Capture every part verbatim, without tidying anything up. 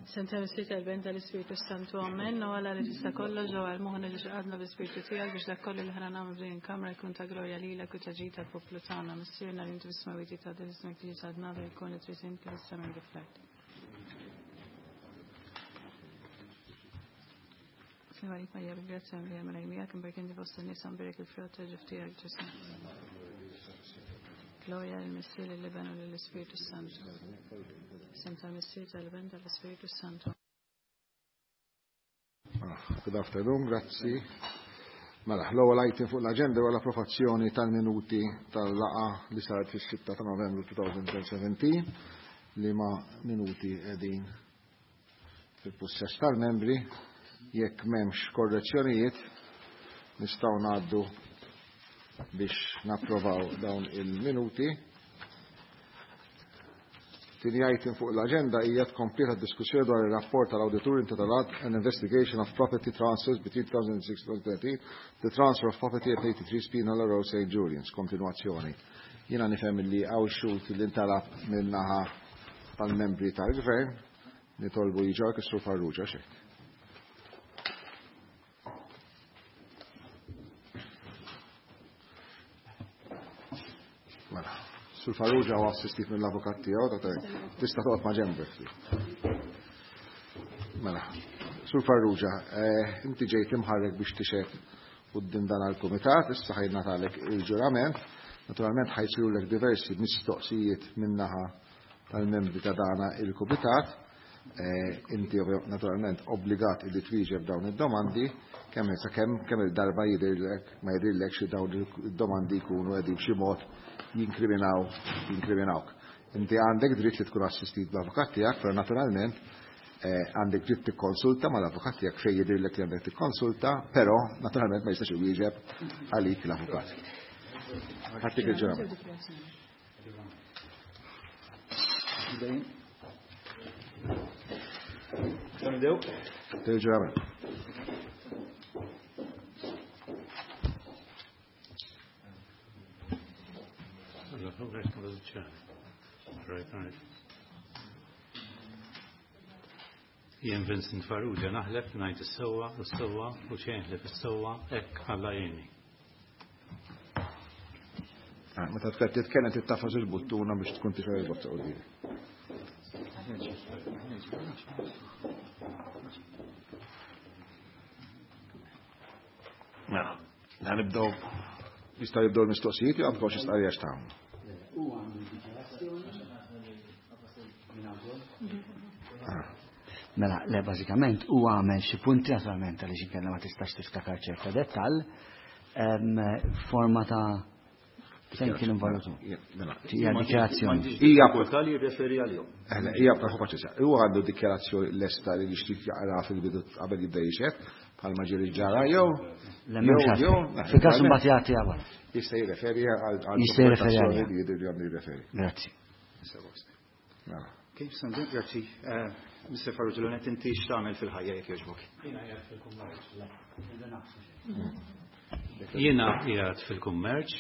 Senta Missier tal-Ben tal-Ispirtu Santu, Amen. U għala li tista' kollox ġewwa l-moħħna li xqadna bl-Ispirtu tiegħek biex dak kollu li ħana nagħmlu f'din il-kamra jkun ta' glorja lilek u ta' ġid tal-poplu tagħna. Missierna li inti fis-smewwiet tgħaddi ismek tiġi saltnata jkun li trid int kif is-sema kif l-art. Slima għalik Marija, bil-grazzja li għamela miegħek, imbark inti fost in-nisa mbierek il-frott ta' ġuf tiegħek Ġesù. Gloria lill-Missier, lill-Iben u lill-Ispirtu Santu. Sem tal-Missier, tal-Iben, tal-Ispirtu Santu. Ah, good afternoon, grazzi. Mela, l-ewwel item fuq l-aġenda huwa l-approvazzjoni tal-minuti tal-laqgħa li saret fis-sitta ta' Novembru elfejn u sbatax li ma minuti qegħdin fil-pussess tal-membri. Jekk m'hemmx korrezzjonijiet, nistgħu ngħaddu biex napprovaw dawn il-minuti. Tieni item fuq l-agenda hija tkompleta diskussjoni dwar ir-rapport tal-awditur intitolat An Investigation of Property Transfers between two thousand six and twenty thirteen, the transfer of property at eighty-three Spinola Road, Saint Julian's, kontinuazzjoni. Jiena nifhem li hawn xhud li ntalab min-naħa tal-membri tal-gvern, nitolbu jiġu is-Sur Farrugia xek. Mela, Sur Farrugia huwa assistit mill-avukat tiegħu, ta' tista' toqgħod ma' ġenbek. Mela, Sur Farrugia, eh, inti ġejt imħarrek biex tixhed quddiem dan għal-kumitat, issa ħa jingħatalek il-ġurament. Naturalment ħa jsirulek diversi mistoqsijiet min-naħa tal-membri ta' dana il-kumitat. Eh, inti naturalment obbligat li twieġeb dawn id-domandi kemm sa kemm kemm il-darba jidhirlek ma jidhirlek xi dawn id-domandi jkunu qegħdin b'xi mod jinkriminaw jinkriminawk. Inti għandek dritt li tkun assistit bl-avukat tiegħek, però naturalment eh, għandek dritt tikkonsulta mal-avukat tiegħek fejn jidhirlek li għandek tikkonsulta, però naturalment ma jistax iwieġeb għalik l-avukat. Ħattik il-ġurament. Nibdew? Il-ġurament. Right, right. Jien Vincent Farrugia naħlef ngħid is-sewwa u s-sewwa u xejn ħlief is-sewwa hekk Alla jgħinni. Ah, meta tkun titkellem tagħfas il-buttuna biex tkun tixgħel il-bozza quddiem. Mela, ħa nibdew, jistgħu jibdew l-mistoqsijiet jew għandkom xi stqarrija x'tagħmlu. Ah. Mela, le, bażikament u għamel xi punti, naturalment għaliex inkella ma tistax tiftakar ċerta dettall, em, forma ta' fejn kien involutu. Mela, Hija dikjarazzjoni. Hija Diffikultà li jirreferi għalihom. Eħle, hija ta' paċenzja. Huwa għandu dikjarazzjoni lesta li jixtieq jaqra fil-bidu qabel jibda jixhed, bħalma ġieli ġara jew Le, m'hemmx jew għalfejn. Fil-każ imbagħad jagħti wara. Jista' jirreferi għal għal Jista' jirreferi dokumentazzjoni għaliha. li jidher li għandu jirreferi. Grazzi. Mela. Kif sandu, grazzi. Eh, Mister Farrugia, l-għonet inti x'tagħmel fil-ħajja jekk jogħġbok? Jiena qiegħed fil-kummerċ,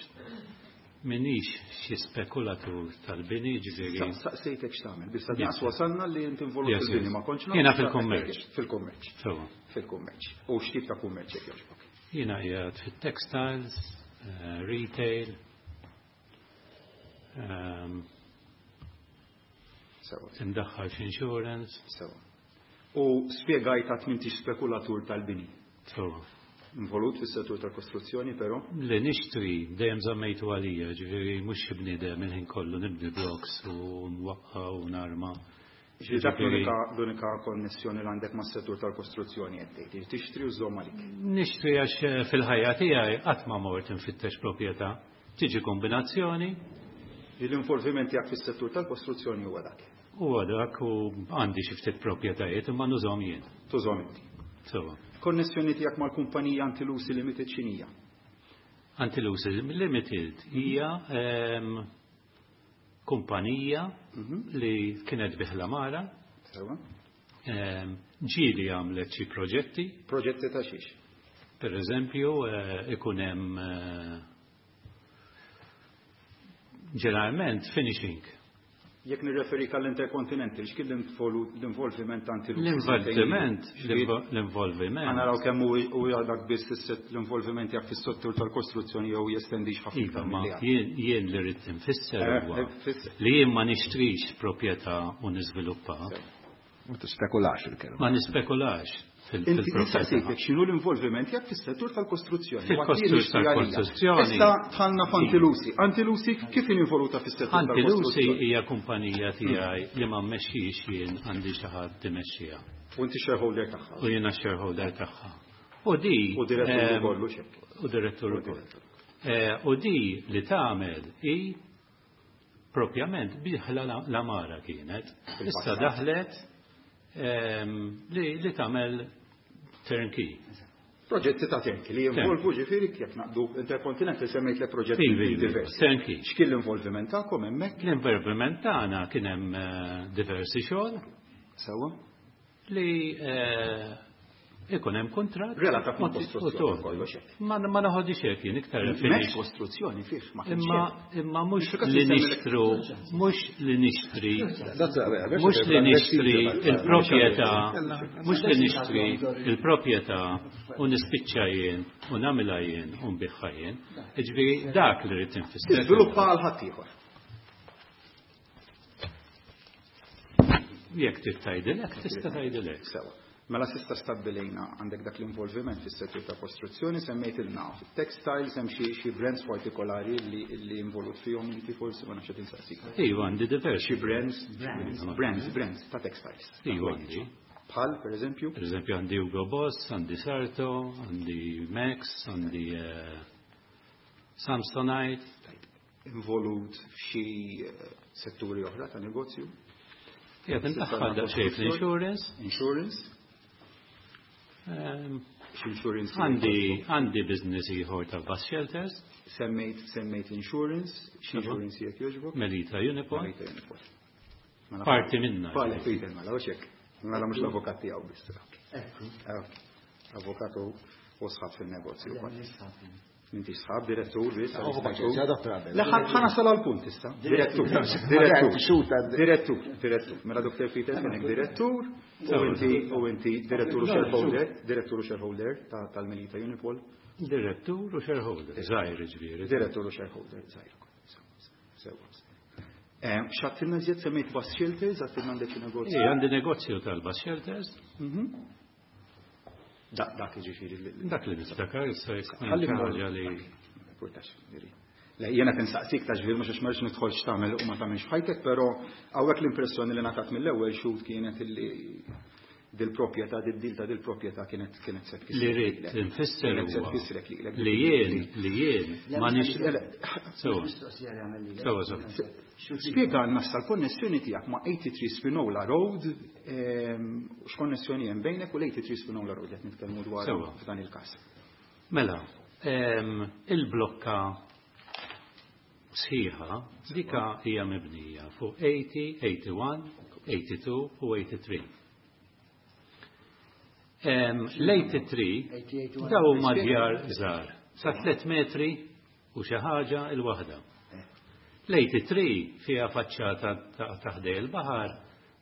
minix xi spekulatur tal-bini, ġifieri. Saqsejtek x'tagħmel, biss naqs wasalna li inti involut Yes, fil-bini, yes. ma kontx naf Jiena x'tagħmel. fil-kummerċ. Fil-kummerċ. Sewwa. Fil-kummerċ. U x'tip ta' kummerċ jekk jogħġbok? Jiena qiegħed fit-textiles, eh, retail, ehm, Sewwa. imdaħħal f'insurance. Sewwa. U spjegajt għat m'intix spekulatur tal-bini. Sewwa. Involut fis-settur tal-kostruzzjoni, però? Li nixtri dejjem żammejtu għalija, ġifieri mhux xi bniedem il-ħin kollu nibni blocks u nwaqqa' u narma. Ġifieri dak l-unika l-unika konnessjoni li għandek mas-settur tal-kostruzzjoni qed tgħid, tixtri u żomm għalik. Nixtri għax eh, fil-ħajja tiegħi qatt ma mort infittex proprjetà. Tiġi kombinazzjoni. Li l-involviment tiegħek fis-settur tal-kostruzzjoni huwa dak. Huwa dak u għandi xi ftit proprjetajiet imma nużhom jien. Tużhom inti. Sewwa. Konnessjoni tiegħek mal-kumpanija Antilusi Limited x'inhija? Antilusi Limited hija ehm, kumpanija li kienet bi l-għamara. Sewwa. Ehm, ġieli għamlet xi proġetti. Proġetti ta' xiex? Per eżempju, eh, ikun hemm eh, ġeneralment finishing. Jekk nirreferik għall-Intercontinental, x'kien l-involviment ta' Antilusi? L-involviment, l-involviment. Ħa naraw kemm hu dak biss l-involviment tiegħek fis-settur tal-kostruzzjoni jew jestendix ħafna. Iva, ma jien li rrid infisser huwa li jien ma nixtrix proprjetà u niżviluppa. Ma tispekulax il-kelma. Ma nispekulax. Inti nistaqsik x'inhu l-involviment tiegħek fis-settur tal-kostruzzjoni. Fil-settur tal-kostruzzjoni. Issa dħalna f'Antilusi. Antilusi kif involuta fis-settur tal-kostruzzjoni? Antilusi hija kumpanija tiegħi li ma mmexxix jien, għandi xi ħadd imexxiha. U inti shareholder tagħha. U jiena shareholder tagħha. U di U direttur ukoll hekk. U direttur ukoll. U di li tagħmel hi propjament biħla l-amara kienet. Issa daħlet li tagħmel turnkey. Proġetti ta' turnkey li jinvolvu ġifieri jekk naqdu Intercontinental semmejt le proġetti diversi. Turnkey. X'kien l-involviment tagħkom hemmhekk? L-involviment tagħna kien hemm diversi xogħol. Sewwa. Li ikun hemm kuntratt. Relatat ma' kostruzzjoni kollox hekk. Ma naħodix hekk jien iktar finish. Kostruzzjoni fih ma kienx. Imma imma mhux li nixtru, mhux li nixtri, mhux li nixtri il-proprjetà, mhux li nixtri il-proprjetà u nispiċċa jien u nagħmilha jien u nbiħħa jien. Jiġifieri dak li rrid infisser. Tiżviluppa għal ħaddieħor. Jekk trid tgħidilek, tista' tgħidilek. Sewa. Mela sista stabbilejna għandek dak l-involviment fis-settur ta' kostruzzjoni, semmejtilna fit-textiles, hemm xi xi brands partikolari li li involut fihom inti forsi ma nafx qed insaqsik. Iva, għandi diversi. Xi brands, brands, brands ta' textiles. Iva għandi. Bħal, per eżempju? Per eżempju għandi Hugo Boss, għandi Sarto, għandi Max, għandi Samsonite. Involut f'xi setturi oħra ta' negozju? Jgħid indaħħal daqsxejn fl-insurance. Insurance. Insurance. Għandi għandi business ieħor ta' bus shelters. Semmejt semmejt insurance, x'insurance jekk jogħġbok? Melita Unipol. Melita Unipol. Parti minna. Pale Peter mela u hekk. Mela mhux l-avukat tiegħu biss. Ekku. Avukatu u sħab fin-negozju wkoll. Inti sħab direttur biss. Le ħa nasal għall-punt issa. Direttur. Direttur. Direttur. Direttur. Mela Doktor Peter kienek direttur u inti u inti direttur u shareholder, direttur u shareholder tal-Melita Unipol. Direttur u shareholder. Żgħir ġifieri. Direttur u shareholder żgħir. Sewa. X'għattilna żjed semmejt bus shelters, għattilna għandek xi negozju. Ej, għandi negozju tal-bus shelters. Dak dak ġifieri. Dak li niftakar issa jekk ħaġa li. Le jiena tinsaqsik ta' ġifieri mhux għax ma rridx nidħol x'tagħmel u ma tagħmilx f'ħajtek, però hawnhekk l-impressjoni li ngħatat mill-ewwel xhud kienet illi dil-proprjetà, did-dil ta' dil-proprjetà kienet kienet se tfisser. Li rrid nfisser huwa li jien li jien ma nix. Sewa. Sewa sewa. Spjegalna issa l-konnessjoni tiegħek ma' eighty-three Spinola Road, x'konnessjoni hemm bejnek u l-eighty-three Spinola Road qed nitkellmu dwar f'dan il-każ. Mela, il-blokka sħiħa dika hija mibnija fuq eighty, eighty-one, eighty-two u eighty-three. L-eighty-three daw huma djar żgħar sa tliet metri u xi ħaġa l-waħda. L-eighty-three fiha faċċata ta' ħdej il-baħar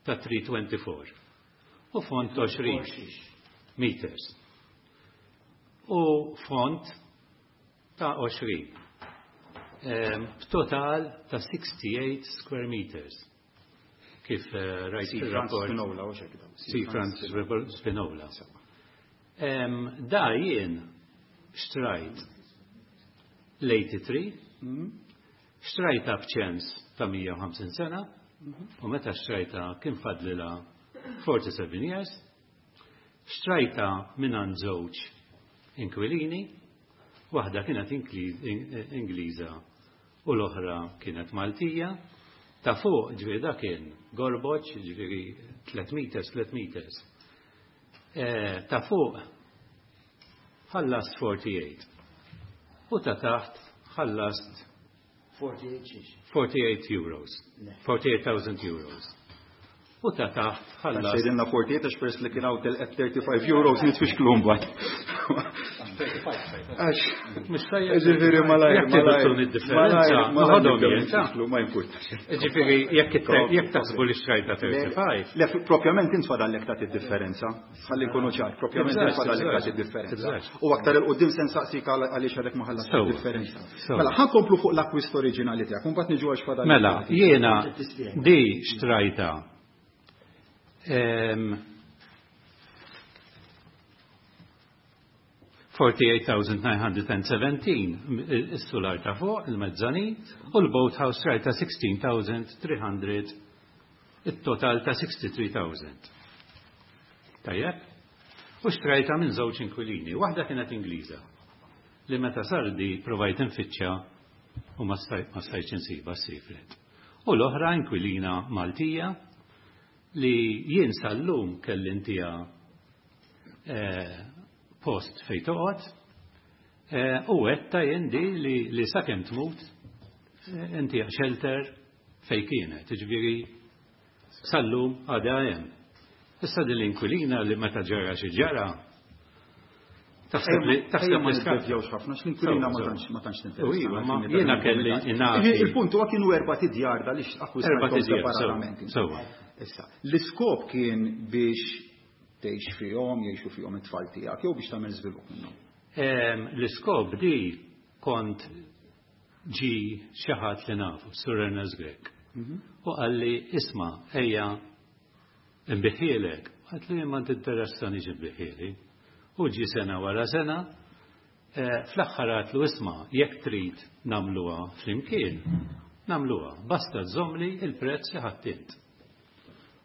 ta' three twenty-four u font għoxrin meters u font ta' għoxrin b'total ta' sixty-eight square meters. Kif rajt fir-rapport. Si Franz Spinola. Da jien xtrajt l-eighty-three, xtrajta b'ċens ta' mija u ħamsin sena, u meta xtrajta kien fadlilha forty-seven years, xtrajta minn żewġ inkwilini, waħda kienet Ingliża u l-oħra kienet Maltija, ta' fuq ġifieri da kien gorboċ, ġifieri tliet meters, tliet meters. Ta' fuq ħallast forty-eight u ta' taħt ħallast forty-eight euros, forty-eight thousand euros. U ta' taħt ħallas. Sejdinna forty-eight għax peress li kien hawn telqet thirty-five euros nitfixklu mbagħad. Għax ġifieri malajr, malajr, differenza, malajr, nitfixklu, ma jimpurtax. Ġifieri jekk taħsbu li xtrajta thirty-five. Le, propjament intfadallek tagħti differenza. Ħalli nkunu ċar, propjament intfadallek tagħti differenza. U aktar il-qudiem se nsaqsik għaliex għadek ma ħallas differenza. Mela, ħankomplu fuq l-akkwist oriġinali tiegħek, u mbagħad niġu għax fadallek. Mela, jiena di xtrajta Um, forty-eight thousand nine hundred and seventeen is-sular ta' fuq il-mezzanin u l-boathouse rajta sixteen thousand three hundred, it-total ta' sixty-three thousand. Tajjeb? U xtrajta minn żewġ inkwilini, waħda kienet Ingliża li meta sardi provajt infittxa u ma stajtx insiba s-sifret. U l-oħra inkwilina Maltija li jien sal-lum kelli intija eh, post fej toqgħod eh, u għetta jien di li, li sakemm tmut eh, intija shelter fej kienet, jiġifieri sal-lum għadha hemm. Issa din l-inkwilina li meta ġara xi ġara taħseb li taħseb ma nibdewx ħafna x'l-inkwilina ma tantx ma tantx tinteressa. Ma jiena kelli ingħati. Il-punt huwa kienu erba' tidjar għaliex akkwistajthom separatament. Sewwa. Issa, l-iskop kien biex tgħix fihom, jgħixu fihom it-tfal tiegħek jew biex tagħmel żvilupp minnhom? L-iskop di kont ġi xi ħadd li nafu, Sur Ernest Grech. U qalli isma' ejja nbiħielek. Għad li ma tinteressani ġi nbiħieli. U ġi sena wara sena, fl-aħħar għatlu isma' jekk trid nagħmluha flimkien, nagħmluha, basta żommli il-prezz li ħadd int.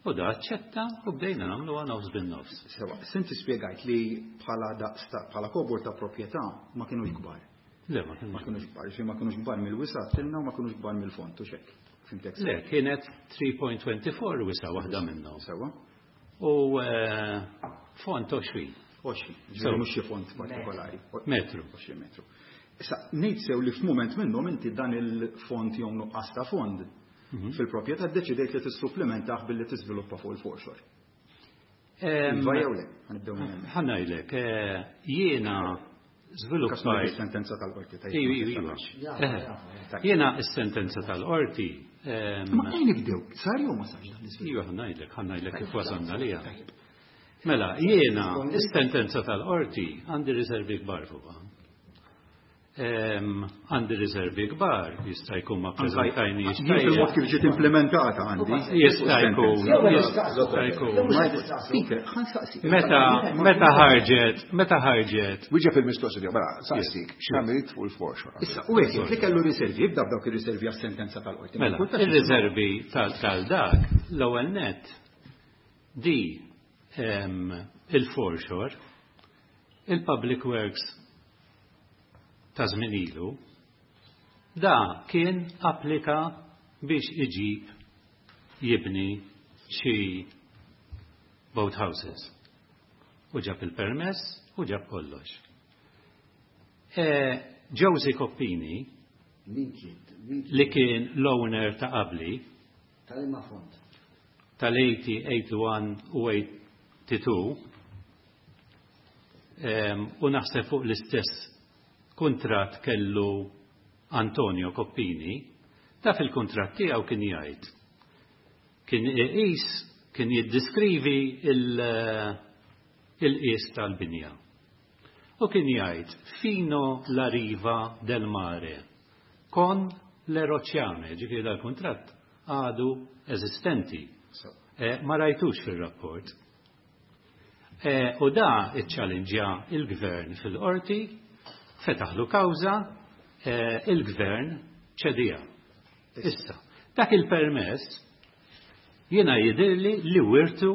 U da aċċetta u bdejna nagħmluha nofs bin-nofs. Sewa, sinti spjegajt li bħala daqs bħala kobor ta' proprjetà ma kinux kbar. Le, ma kinux kbar, ġifieri ma kinux kbar mill-wisa' tilna u ma kinux kbar mill-fond u xekk. Fimtek? Le, kienet three point two four wisa' waħda minnhom. Sewa. U fond għoxrin. Għoxrin, ġifieri mhux xi fond partikolari. Metru. Għoxrin metru. Issa, ngħid sew li f'mument minnhom inti dan il-fond jew nuqqas ta' fond fil-proprjetà ddeċidejt li tissupplementah billi tiżviluppa fuq il-foreshore. Iva jew le, ħanibdew minn hemm. Ħa ngħidlek, jiena żviluppajt is-sentenza tal-qorti tajjeb. Iva, iva. Jiena s-sentenza tal-qorti. Ma fejn nibdew, sar jew ma sarx dan l-iżvilupp? Iva, ħa ngħidlek, ħa ngħidlek kif wasalna għaliha. Mela, jiena s-sentenza tal-qorti għandi riservi kbar fuqha. Għandi riservi kbar, jista' jkun ma ppreżentajniex. Il-mod kif ġiet implementata għandi. Jista' jkun, jista' jkun. Speaker, ħa nsaqsik. Meta meta ħarġet, meta ħarġet. Wieġeb il-mistoqsija, mela saqsik, x'għamilt fuq il-foreshore. Issa, u hekk li kellu riservi, jibda b'dawk ir-riservi għas-sentenza tal-qorti. Mela, ir-riservi tal-dak l-ewwel nett di il-foreshore, il-Public Works ta' żmien ilu, da kien applika biex iġib jibni xi boathouses. U ġab il-permess u ġab kollox. E, Josie Coppini, li kien l-owner ta' qabli, tal-imma fond, tal-eighty, eighty-one u eighty-two, u naħseb fuq l-istess kontrat kellu Antonio Coppini, ta' fil-kontrat tiegħu kien jgħid. Kien iqis, kien jiddiskrivi il-qis tal-binja. U kien jgħid fino la riva del mare con le rocciame, ġifieri dal-kuntratt għadu eżistenti. Eh, ma rajtux fil-rapport. Eh, u da iċċallenġja il-gvern fil-qorti, fetaħlu kawża, eh, il-gvern ċedija. Issa, dak il-permess jiena jidhirli li wirtu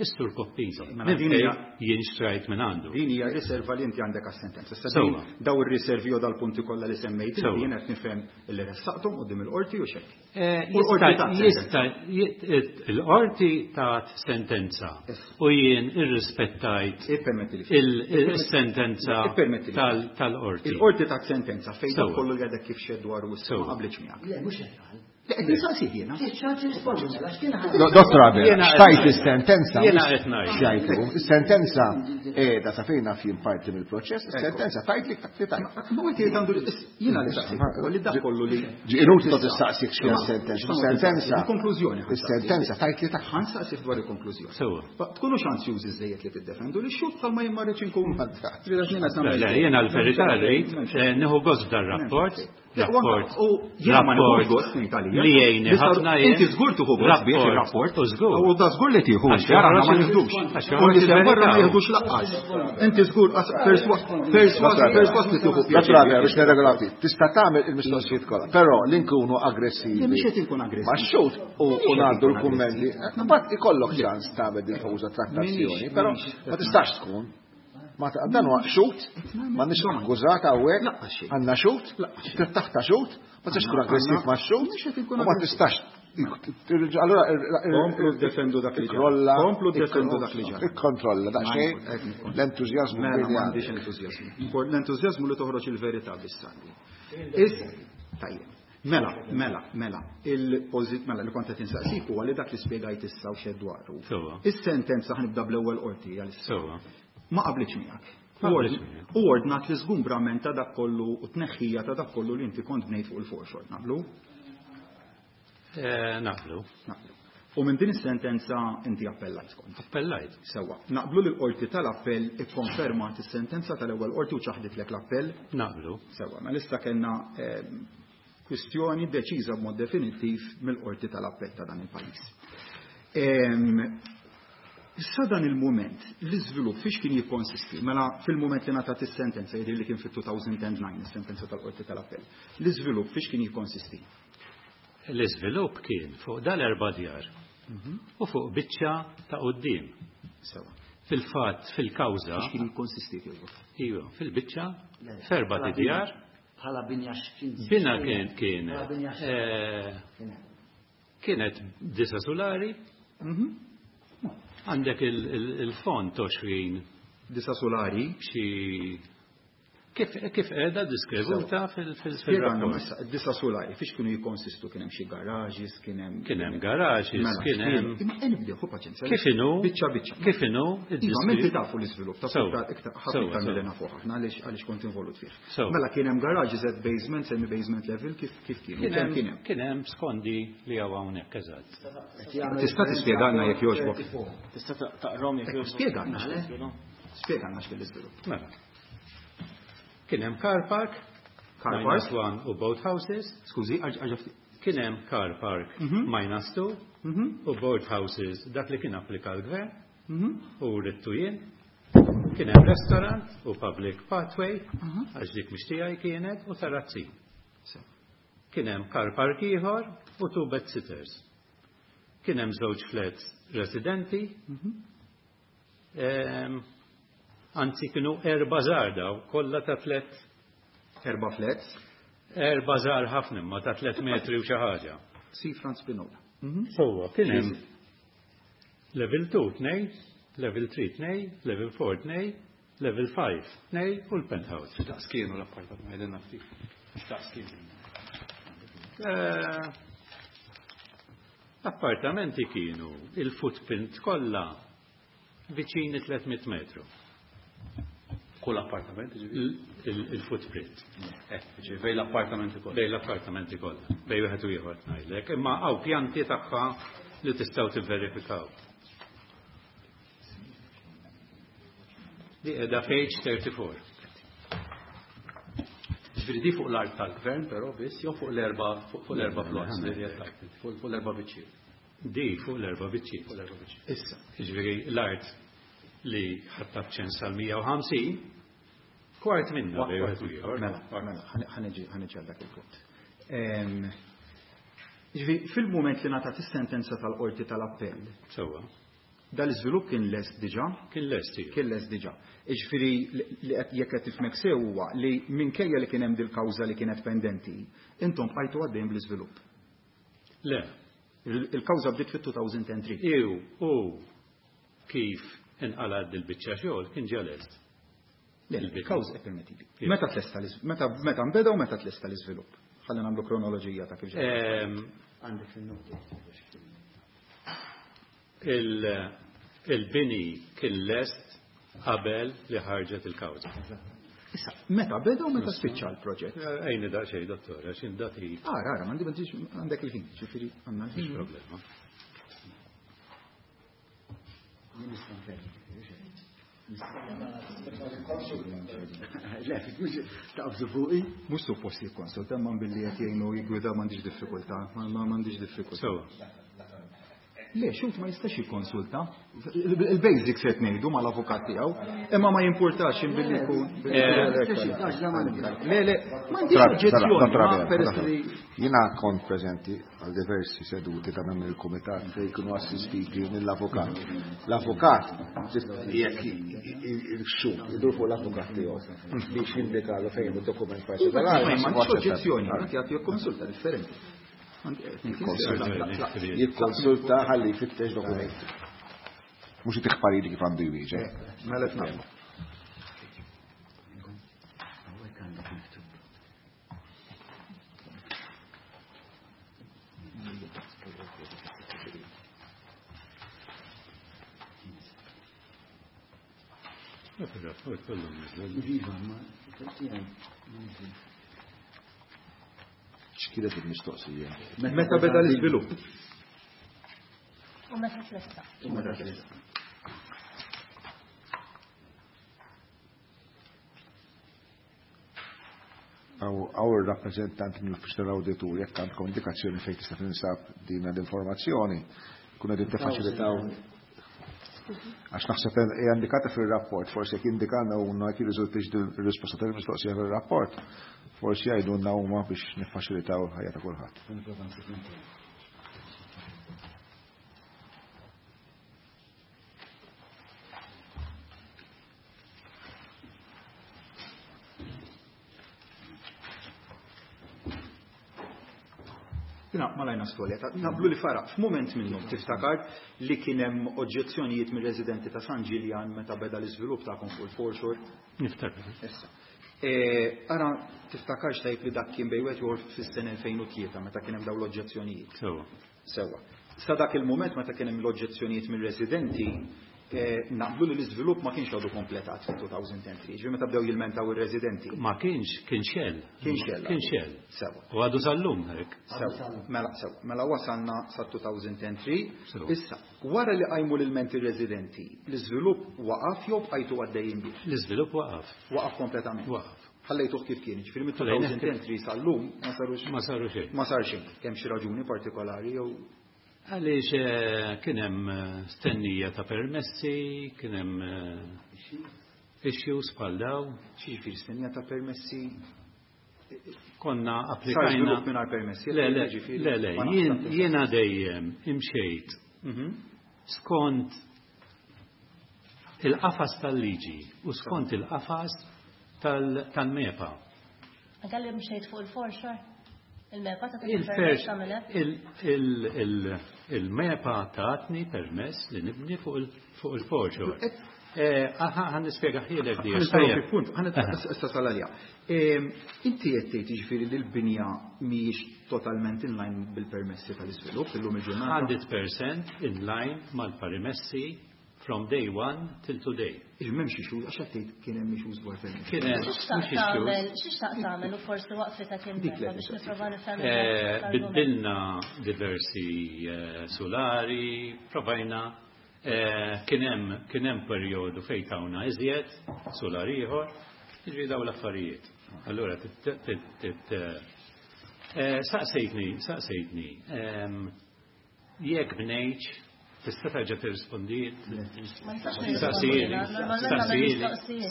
is-Sur Coppini. Mela din hija jien xtrajt minn għandu. Din hija riserva li inti għandek għas-sentenza. Issa daw ir-riservi u dal-punti kollha li semmejt jien qed nifhem li ressaqthom quddiem il-qorti u xejn. Jista' il-qorti tat sentenza u jien irrispettajt il-sentenza tal-qorti. Il-qorti tat sentenza fejn kollu li għadek kif xed dwar u ma qablitx miegħek. Le, mhux hekk qal. Dottor Abela, xtajt is-sentenza. Jiena qed ngħid. Xajtu, is-sentenza qiegħda sa fejn naf jien parti mill-proċess, is-sentenza tajt li tajt. Ma inti għandu jiena li saqsik, li dak kollu li. Inutli tistaqsik xi sentenza. Is-sentenza. Il-konklużjoni. Is-sentenza tajt li tajt. Ħa nsaqsik dwar il-konklużjoni. Sewwa. Tkunux ansjużi żejjed li tiddefendu li xut bħalma jien ma rridx inkun. Le, jiena l-verità rrid nieħu gost dar-rapport. Rapport. Rapport. Li jgħinni ħafna jien. Inti żgur tieħu gost bih ir-rapport. U żgur. U da żgur li tieħu, ara ma nieħdux. U li barra ma jieħdux laqqas. Inti żgur perswas perswas li tieħu pjaċir. Biex nirregolaw ftit. Tista' tagħmel il-mistoqsijiet kollha, però li nkunu aggressivi. Mhux qed inkun aggressiv. Ma xut u ngħaddu l-kummenti. Mbagħad ikollok ċans tagħmel din famuża trattazzjoni, però ma tistax tkun. Ma dan huwa xut, m'għandniex akkużat hawnhekk, għandna xut, trid taħta xut, ma tistax tkun aggressiv ma' xut, u ma tistax. Allora komplu ddefendu dak li ġara. Komplu ddefendu dak li ġara. Ikkontrolla daqsxejn l-entużjażmu. M'għandix entużjażmu. L-entużjażmu li toħroġ il-verità biss għandi. Tajjeb. Mela, mela, mela, il-pożit mela li kont qed insaqsik huwa li dak li spjegajt issa u xed dwaru. Is-sentenza ħa nibda bl-ewwel qorti għalissa. Ma qablitx miegħek. U ordnat l-iżgumbrament ta' dak kollu u tneħħija ta' dak kollu li inti kont bnejt fuq il-foreshore. Naqblu? Naqblu. Naqblu. U minn din is-sentenza inti appellajt kont. Appellajt. Sewwa. Naqblu li l-qorti tal-appell ikkonfermat is-sentenza tal-ewwel qorti u ċaħditlek l-appell? Naqblu. Sewwa. Mela issa kellna kwistjoni deċiża b'mod definittiv mill-qorti tal-appell ta' dan il-pajjiż. Sa dan il-moment, l-iżvilupp fiex kien jikkonsisti? Mela fil-moment li ngħatat is-sentenza, jidher li kien fit-two thousand and nine, is-sentenza tal-qorti tal-appell. L-iżvilupp fiex kien jikkonsisti? L-iżvilupp kien fuq dal-erba' djar u fuq biċċa ta' quddiem. Sewa. Fil-fatt, fil-kawża. Fiex kien jikkonsisti jogħġbok? Iva, fil-biċċa, f'erba' djar. Bħala binja x'kien. Bina kien kienet. Kienet disa solari. Għandek il-font għoxrin. Disa solari. Xi kif kif qiegħda diskrevuta fil-rapport. Disa solari, fiex kienu jikkonsistu? Kien hemm xi garages, kien hemm Kien hemm garages, kien hemm. Imma nibdew ħu paċenzja. Kif inhu? Biċċa biċċa. Kif inhu? Iva, menti tafu l-iżvilupp, tafu iktar ħafna iktar milli nafu aħna għaliex għaliex kont involut fih. Mela kien hemm garages at basement, semi basement level, kif kif kienu? Kien Kemm kien hemm? Kien hemm skondi li hawn hawnhekk eżatt. Tista' tispjegalna jekk jogħġbok. Tista' taqrom jekk jogħġbok. Spjegalna. Spjegalna x'kien l-iżvilupp. Mela. Kien hemm car park, Car park? minus one u boat houses. Skużi, għaġa ftit. Kien hemm car park minus two u boat houses, dak li kien applika l-gvern u rittu jien. Kien hemm restaurant u public pathway, għax dik mhix tiegħi kienet, u terrazzi. Kien hemm car park ieħor u two bed sitters. Kien hemm żewġ flats residenti. Anzi kienu erba' żgħar daw, kollha ta' tliet. Erba' flats? Erba' żgħar ħafna imma ta' tliet metri u xi ħaġa. Si Franz Spinola. Sewwa, kien hemm level two tnej, level three tnej, level four tnej, level five tnej u l-penthouse. Daqs kienu l-appartament, ma jgħidilna ftit. Daqs kienu. L-appartamenti kienu il-footprint kollha viċini tliet mitt metru. Kull appartament, ġifieri? Il-footprint. Eh, ġifieri bejn l-appartamenti kollha. Bejn l-appartamenti kollha, bejn wieħed u ieħor ngħidlek, imma hawn pjanti tagħha li tistgħu tivverifikaw. Di qiegħda page thirty-four. Ġifieri di fuq l-art tal-gvern però biss jew fuq l-erba' fuq l-erba' plots li qed tgħid, fuq l-erba' biċċiet. Di fuq l-erba' biċċiet. Fuq l-erba' biċċiet. Issa. Ġifieri l-art li ħadd ċens għal mija u ħamsin, kwart minna bejn wieħed u ieħor. Mela, mela, ħaneġi, ħaneġi għal dak il-punt. Ġifieri fil-mument li ngħatat is-sentenza tal-qorti tal-appell. Sewwa. Dal-iżvilupp kien lest diġà? Kien lest, iva. Kien lest diġà. Jiġifieri li qed jekk qed tifhmek sew huwa li minkejja li kien hemm dil-kawża li kienet pendenti, intom bqajtu għaddejjin bl-iżvilupp. Le. Il-kawża bdiet fit-two thousand and three. Iw, u kif inqalad dil-biċċa xogħol kien ġa lest. Le, il-kawża permettili. Iva. Meta tlesta l-iż-, meta, meta nbeda u meta tlesta l-iżvilupp? Ħalli nagħmlu kronoloġija ta' kif Għandek fin-noti. Il-bini kien lest qabel li ħarġet il-kawża. Issa, meta beda u meta spiċċa l-proġett? Ejni daqsxejn, dottor, għax indati. Ara, ara, m'għandi m'għandix għandek il-ħin, ġifieri għandna l-ħin. Problema. Le, mhux taqbżu fuqi. Mhux suppost jikkonsulta, imma billi qed jgħinu jigwida m'għandix diffikultà, ma m'għandix diffikultà. Le, xut ma jistax jikkonsulta. Il-basics qed ngħidu mal-avukat tiegħu, imma ma jimpurtax billi jkun. Le, le, m'għandix oġġezzjoni. Jiena kont preżenti għal diversi seduti ta' dan il-kumitat fejn jkunu assistiti mill-avukat. L-avukat jekk il-xut idur fuq l-avukat tiegħu biex jindikalu fejn id-dokument partikolari. M'għandix oġġezzjoni, qed jagħti konsulta differenti. Jikkonsulta ħalli jfittex dokumenti. Mhux itih pariri kif għandu jwieġeb. Mela nagħmlu. X'kienet il-mistoqsija? Meta beda l-iżvilupp? U meta tlesta. U meta tlesta. Għaw il-rappresentant mill-uffiċċju tal-awditur, jekk għandkom indikazzjoni fejn tista' tinsab din l-informazzjoni, kun qegħdin tiffaċilitaw. Għax naħseb hija indikata fir-rapport, forsi jekk indikana huma jekk jirriżultix din ir-risposta tal-mistoqsija fir-rapport, forsi jgħidulna huma biex niffaċilitaw il-ħajja ta' kulħadd. Jina, malajna storja, naqblu li fara, f'mument minnhom tiftakar li kien hemm oġġezzjonijiet mir-residenti ta' San Ġiljan meta beda l-iżvilupp tagħkom fuq il-foreshore. Niftakar. Issa. Ara tiftakarx tajb li dak kien bejn wieħed ieħor fis-sena elfejn u tlieta meta kien hemm dawn l-oġġezzjonijiet. Sewwa. Sewwa. Sa dak il-mument meta kien hemm l-oġġezzjonijiet mir-residenti, naqblu li l-iżvilupp ma kienx għadu kompletat fil-two thousand and three, ġifieri meta bdew jilmentaw ir-residenti. Ma kienx, kien xell. Kien xell. Kien xell. Sewwa. U għadu sal-lum hekk. Sewwa. Mela, sewwa. Mela wasalna sa two thousand and three. Issa, wara li qajmu l-ilmenti r-residenti, l-iżvilupp waqaf jew bqajtu għaddejjin bih? L-iżvilupp waqaf. Waqaf kompletament. Waqaf. Ħallejtuh kif kien, ġifieri mit-two thousand and three sal-lum ma sarux. Ma saru xejn. Ma sar xejn. Kemm xi raġuni partikolari jew Għaliex kien hemm stennija ta' permessi, kien hemm issues bħal daw. Xiġifieri stennija ta' permessi? Konna applikajna. Sar żvilupp mingħajr permessi? Le, le, le, le, jiena dejjem imxejt skont il-qafas tal-liġi u skont il-qafas tal-MEPA. Għalli mxejt fuq il-foreshore? Il-MEPA ta' permess tagħmel hekk? Il-MEPA tatni permess li nibni fuq il-foreshore. Ħa nispjega ħielek di. Punt, ħa issa salalja. Inti qed tgħid jiġifieri li l-binja mhijiex totalment in line bil-permessi tal-iżvilupp illum il-ġurnata? hundred percent in line mal-permessi from day one till today. M'hemmx issues, għax qed tgħid kien hemm issues dwar permessi. Kien hemm mhux issues. Xi xtaqt tagħmel u forsi waqfitek il-MEPA biex nipprova nifhem. Biddilna diversi solari, provajna kien hemm kien hemm perjodu fejn tawna iżjed solari ieħor, jiġri dawn l-affarijiet. Allura saqsejtni, saqsejtni, jekk bnejtx tista' terġa' tirrispondi? Saqsili,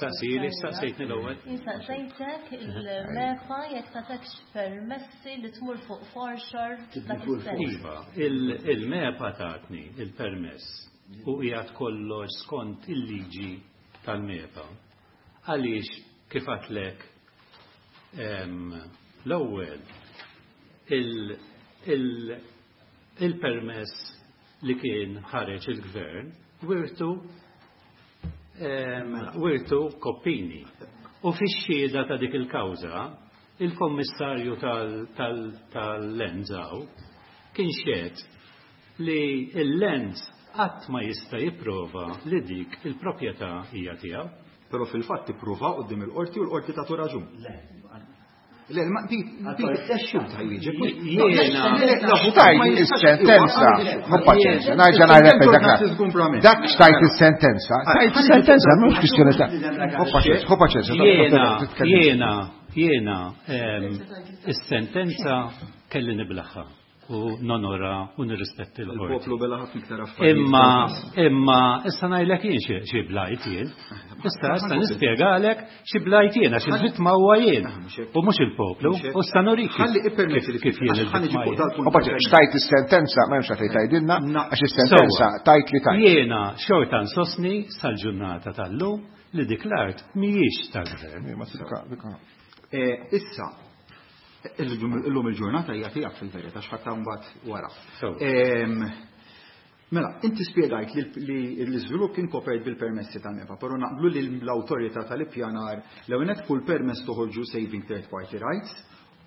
saqsili, saqsejtni l-ewwel. Saqsejtek il-MEPA jekk tagħtekx permessi li tmur fuq foreshore dak is-sens. Iva, il-MEPA tatni il-permess u qiegħed kollox skont il-liġi tal-MEPA. Għaliex kif għadlek l-ewwel il-permess li kien ħareġ il-gvern wirtu wirtu koppini. U fix-xhieda ta' dik il-kawża, Il-kommissarju tal-Lands kien xehed li il-Lands qatt ma jista' jipprova li dik il-proprjetà hija tiegħu. Però fil-fatt ipprova quddiem il-qorti u l-qorti tagħtu raġun. Le, ma di, di, xut ħajġi. Jiena. Xtajt il-sentenza, hu paċenzja, nerġa' ngħidlek dak. Dak xtajt il-sentenza, tajt il-sentenza, mhux kwistjoni ta' hu paċenzja, hu paċenzja. Jiena, jiena, jiena, is-sentenza kelli niblaħħa u nonora u nirrispetti l-qorti. Il-poplu bela ħafna iktar affarijiet. Imma, imma, issa ngħidlek jien xi blajt jien. Issa, issa nispjegalek xi blajt jien, għax il-vittma huwa jien. U mhux il-poplu, u issa nurik Ħalli ippermetti li kif jien il-vittma jien. U paċenzja, xtajt is-sentenza, ma hemmx għalfejn tgħidilna, għax is-sentenza tajt li tajt. Jiena xorta nsostni sal-ġurnata tal-lum li dik l-art mhijiex tal-gvern. Issa, illum il-ġurnata hija tiegħek fil-verità x'ħadd mbagħad wara. Mela, inti spjegajt li l-iżvilupp kien kopert bil-permessi tal-MEPA, però naqblu li l-awtorità tal-ippjanar l-ewwel kull permess toħorġu saving third party rights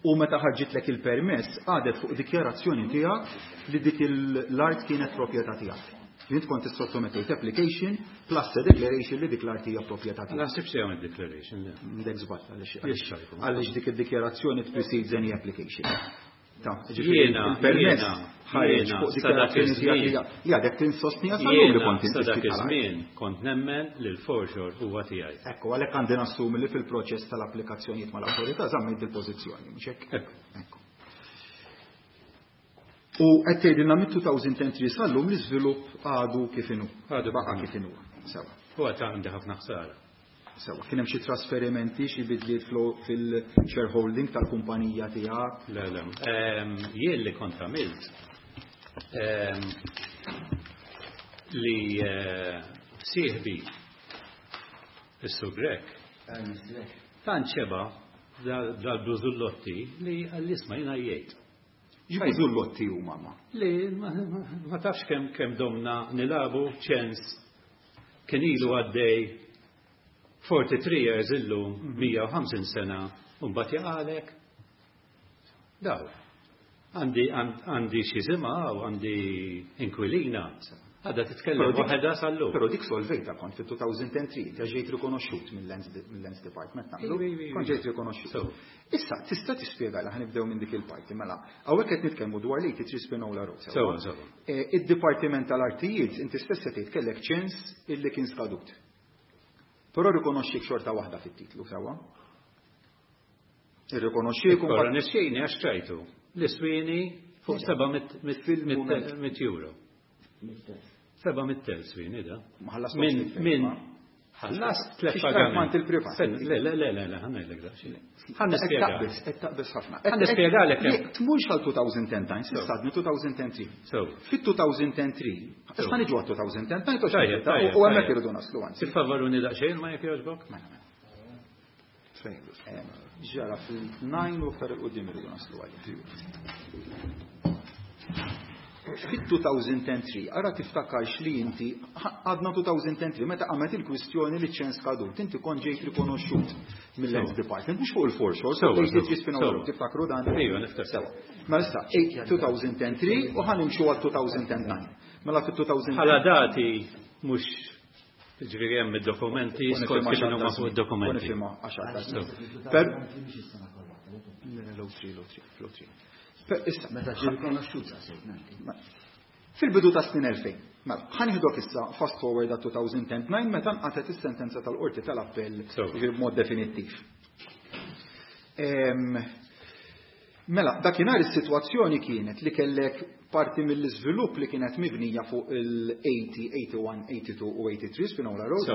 u meta ħarġitlek il-permess għadet fuq dikjarazzjoni tiegħek li dik l-art kienet proprjetà tiegħek. Int kont sottomettejt application plus a declaration li dik l-art hija proprjetà tiegħek. Naħseb se jagħmel declaration. Dek żball għaliex għaliex dik id-dikjarazzjoni precedes any application. Ta' ġifieri il-permess ħareġ fuq dikjarazzjoni tiegħek li għadek tinsostni għal li kont Sa dak iż-żmien kont nemmen li l-foreshore huwa tiegħi. Ekku, għalhekk għandi nassumi li fil-proċess tal-applikazzjonijiet mal-awtorità żammejt il-pożizzjoni, mhux hekk? Ekku. U qed tgħidilna mit-two thousand and three sal-lum l-iżvilupp għadu kif inhu. Għadu baqa' kif inhu. Sewa. Huwa ta' għandi ħafna ħsara. Sewa, kien hemm xi trasferimenti, xi bidliet fil-shareholding tal-kumpanija tiegħek? Le, le. Jien li kont għamilt li sieħbi is-Sur Grech tant xeba dal-blużullotti li għall-isma jiena jgħid. X'bużullotti huma ma? Li ma tafx kemm kemm domna nilagħbu ċens kien ilu għaddej forty-three years illum, mija u ħamsin sena, u mbagħad jaqalek. Daw. Għandi għandi xi żimgħa u għandi inkwilina. Għadha titkellem waħedha sal-lum. Però dik solvejta kont fit-two thousand and three, ta' ġejt rikonoxxut mill-Lands Department, naqblu? Kont ġejt rikonoxxut. Issa, tista' tispjega li ħa nibdew minn dik il-parti, mela, hawnhekk qed nitkellmu dwar li eighty-three Spinola Road. Sewa, sewa. Id-Dipartiment tal-Artijiet, inti stess qed tgħid kellek ċens illi kien skadut. Però rikonoxxik xorta waħda fit-titlu, sewa? Irrikonoxxik u Rikonoxxini għax ċajtu. L-iswini fuq seba' mitt euro. Seba' mitt elf swini da. Min, min, ħallast tlet pagamenti. Il-privat. Le, le, le, le, le, ħa ngħidlek da. Ħa nispjega. Qed taqbeż ħafna. Ħa nispjegalek. Tmurx għal two thousand and nine, s'issa għadni two thousand and three. Fit-two thousand and three, issa niġu għal two thousand and nine, u hemmhekk irridu naslu għan. Tiffavoruni daqsxejn ma jekk jogħġbok? Mela, mela. Ġara fil-nine u aktar il-qudiem irridu naslu għalih. Fit-two thousand and three, ara tiftakarx li inti, għadna two thousand and three, meta għamet il-kwistjoni li ċens kadut, inti kont ġejt rikonoxxut mill-Lands Department, mhux fuq il-foreshore, so tiftakru dan? Ejwa, niftakar. Sewa. Mela issa, two thousand and three u ħa nimxu għal two thousand and nine. Mela fit-two thousand Bħala dati mhux ġifieri hemm id-dokumenti skont kif huma fuq id-dokumenti. Per Issa, meta ġie rikonoxxut sa fil-bidu ta' snin elfejn, mela, ħa nieħdok issa fast forward għat two thousand and nine meta nqatet is-sentenza tal-qorti tal-appell b'mod definittiv. Mela, dakinhar is-sitwazzjoni kienet li kellek parti mill-iżvilupp li kienet mibnija fuq il-eighty, eighty-one, eighty-two u eighty-three Spinola Road,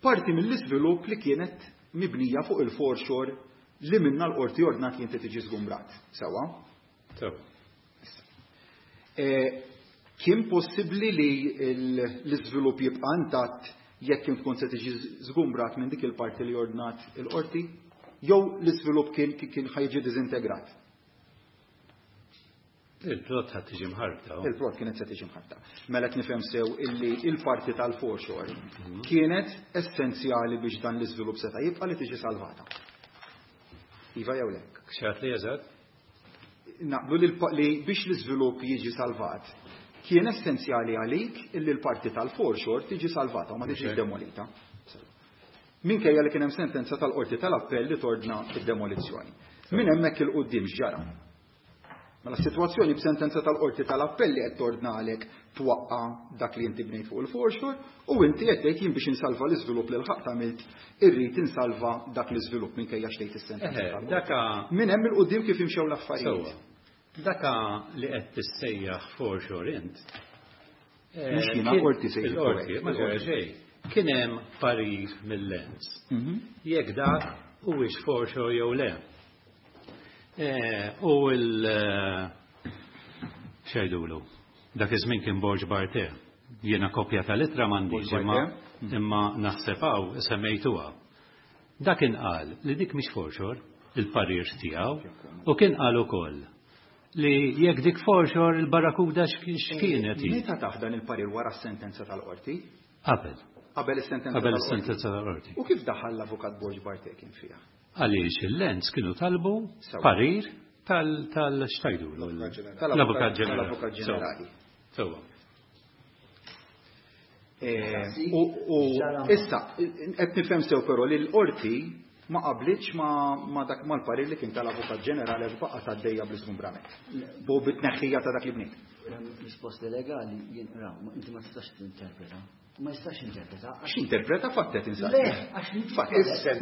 parti mill-iżvilupp li kienet mibnija fuq il-foreshore li minna l-qorti ordnat li inti tiġi żgumbrat. Sewa? Sewa. Kien possibbli li l-iżvilupp jibqa' intatt jekk kien tkun se tiġi żgumbrat minn dik il-parti li ordnat il-qorti? Jew l-iżvilupp kien kien ħa jiġi diżintegrat? Il-plot ħa tiġi mħarbta. Il-plot kienet se tiġi mħarbta. Mela qed nifhem sew illi il-parti tal-foreshore kienet essenzjali biex dan l-iżvilupp seta' jibqa' li tiġi salvata. Iva jew le? X'għedt li eżatt? Naqblu li biex l-iżvilupp jiġi salvat, kien essenzjali għalik illi l-parti tal-foreshore tiġi salvata u ma tiġix demolita. Minkejja li kien hemm sentenza tal-qorti tal-appell li tordna id-demolizzjoni. Minn hemmhekk 'il quddiem x'ġara? Mela s-sitwazzjoni b'sentenza tal-qorti tal-appell li qed tordna għalek twaqqa' dak li inti bnejt fuq il-foreshore u inti qed tgħid jien biex insalva l-iżvilupp li l-ħaqt għamilt irrid insalva dak l-iżvilupp minkejja x'tgħid is-sentenza tal-qorti. Minn hemm 'il quddiem kif imxew l-affarijiet. Daka li qed tissejjaħ foreshore int. Mhux jiena qorti sejjaħ. Il-qorti, ma ġara xejn. Kien hemm parir mill-Lands. Jekk dak huwiex foreshore jew le. U l xejdulu, dak iż-żmien kien Borg Barthe. Jiena kopja tal-ittra m'għandix imma imma naħseb hawn semmejtuha. Dak inqal li dik mhix foreshore, il-parir tiegħu, u kien qal ukoll li jekk dik foreshore il-Barracuda x'kienet hi. Meta taħdan il-parir wara s-sentenza tal-qorti? Qabel. Qabel is-sentenza Qabel is-sentenza tal-qorti. U kif daħal l-avukat Borg Barthe kien fiha? Għaliex il-Lands kienu talbu parir tal-xtajdu. L-avukat ġenerali. L-avukat ġenerali. Sewwa. U issa, qed nifhem sew però li l-qorti ma qablitx ma dak mal-parir li kien tal-avukat ġenerali għax baqgħet għaddejja bl-iżgumbrament. Bu bit-tneħħija ta' dak li bniet. Risposti legali jinqraw, inti ma tistax tinterpreta. Ma jistax interpreta. Għax interpreta fattet insaqsi. Le, għax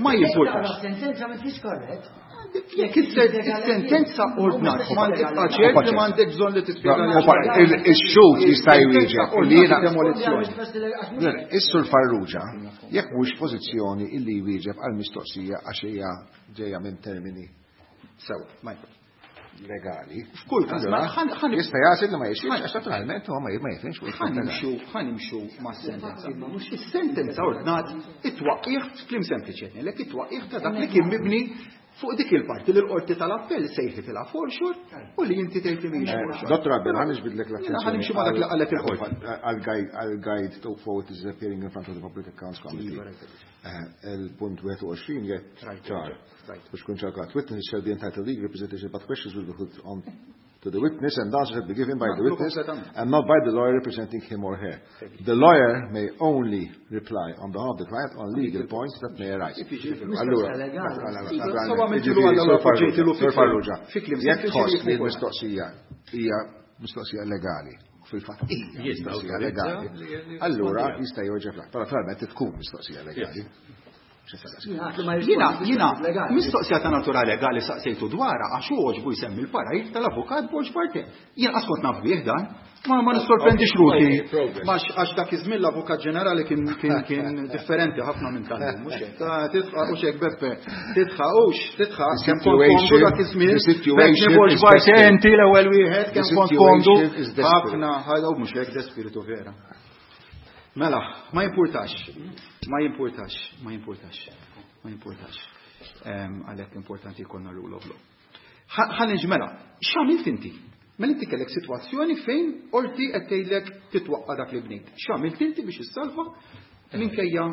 Ma jimpurtax. Sentenza ma tix korrett. Jekk is-sentenza ordnat, ma tibqa' ċert li m'għandek bżonn li tispjega. Ix-xhud jista' jwieġeb li jiena Is-Sur Farrugia, jekk mhux pożizzjoni illi jwieġeb għal mistoqsija għax hija ġejja minn termini sew, Michael. Legali. F'kull każ, jista' jagħti li ma jixtieqx għax naturalment huwa ma jifhimx fuq Ħa nimxu, ħa nimxu mas-sentenza. Is-sentenza ordnat it-twaqqih f'kliem sempliċi qed ngħidlek it-twaqqih ta' dak li kien mibni fuq dik il-parti li l-qorti tal-appell sejħitilha foreshore u li inti tgħid li mhijiex foreshore. Dottor Abel, ħa niġbidlek l-attenzjoni. Ħa nimxu ma' dak li qalet il-qorti. Għal-guide to forward is appearing in front of the Public Accounts Committee. Il-punt wieħed u għoxrin jgħid ċar. Biex kun ċarkat. Witnesses shall be entitled to legal representation, but questions will be put on to the witness and answers shall be given by the witness and not by the lawyer representing him or her. The lawyer may only reply on behalf of the client on legal points that may arise. Allura, Farrugia, jekk tħoss li l-mistoqsija hija mistoqsija legali, fil-fatt hija mistoqsija legali, allura jista' jwieġeb lak. Però naturalment tkun mistoqsija legali. Jiena, jiena, mistoqsija ta' natura legali saqsejtu dwarha għax hu għoġbu jsemmi l-parir tal-avukat Borg Barthe. Jien qas kont naf bih dan, ma ma nissorprendix ruħi. Għax dak iż-żmien l-avukat ġenerali kien kien differenti ħafna minn tal-lum, mhux hekk. Tidħaq hux hekk Beppe, tidħaq hux, tidħaq kemm kont komdu dak iż-żmien. Beppe Borg Barthe inti l-ewwel wieħed kemm kont komdu. Ħafna ħajda mhux hekk de spiritu vera. Mela, ma jimpurtax, ma jimpurtax, ma jimpurtax, ma jimpurtax. Għalhekk importanti jkollna rule of law. Ħa niġi mela, x'għamilt inti? Mela inti kellek sitwazzjoni fejn qorti qed tgħidlek titwaqqa' dak li bnejt. X'għamilt inti biex issalva minkejja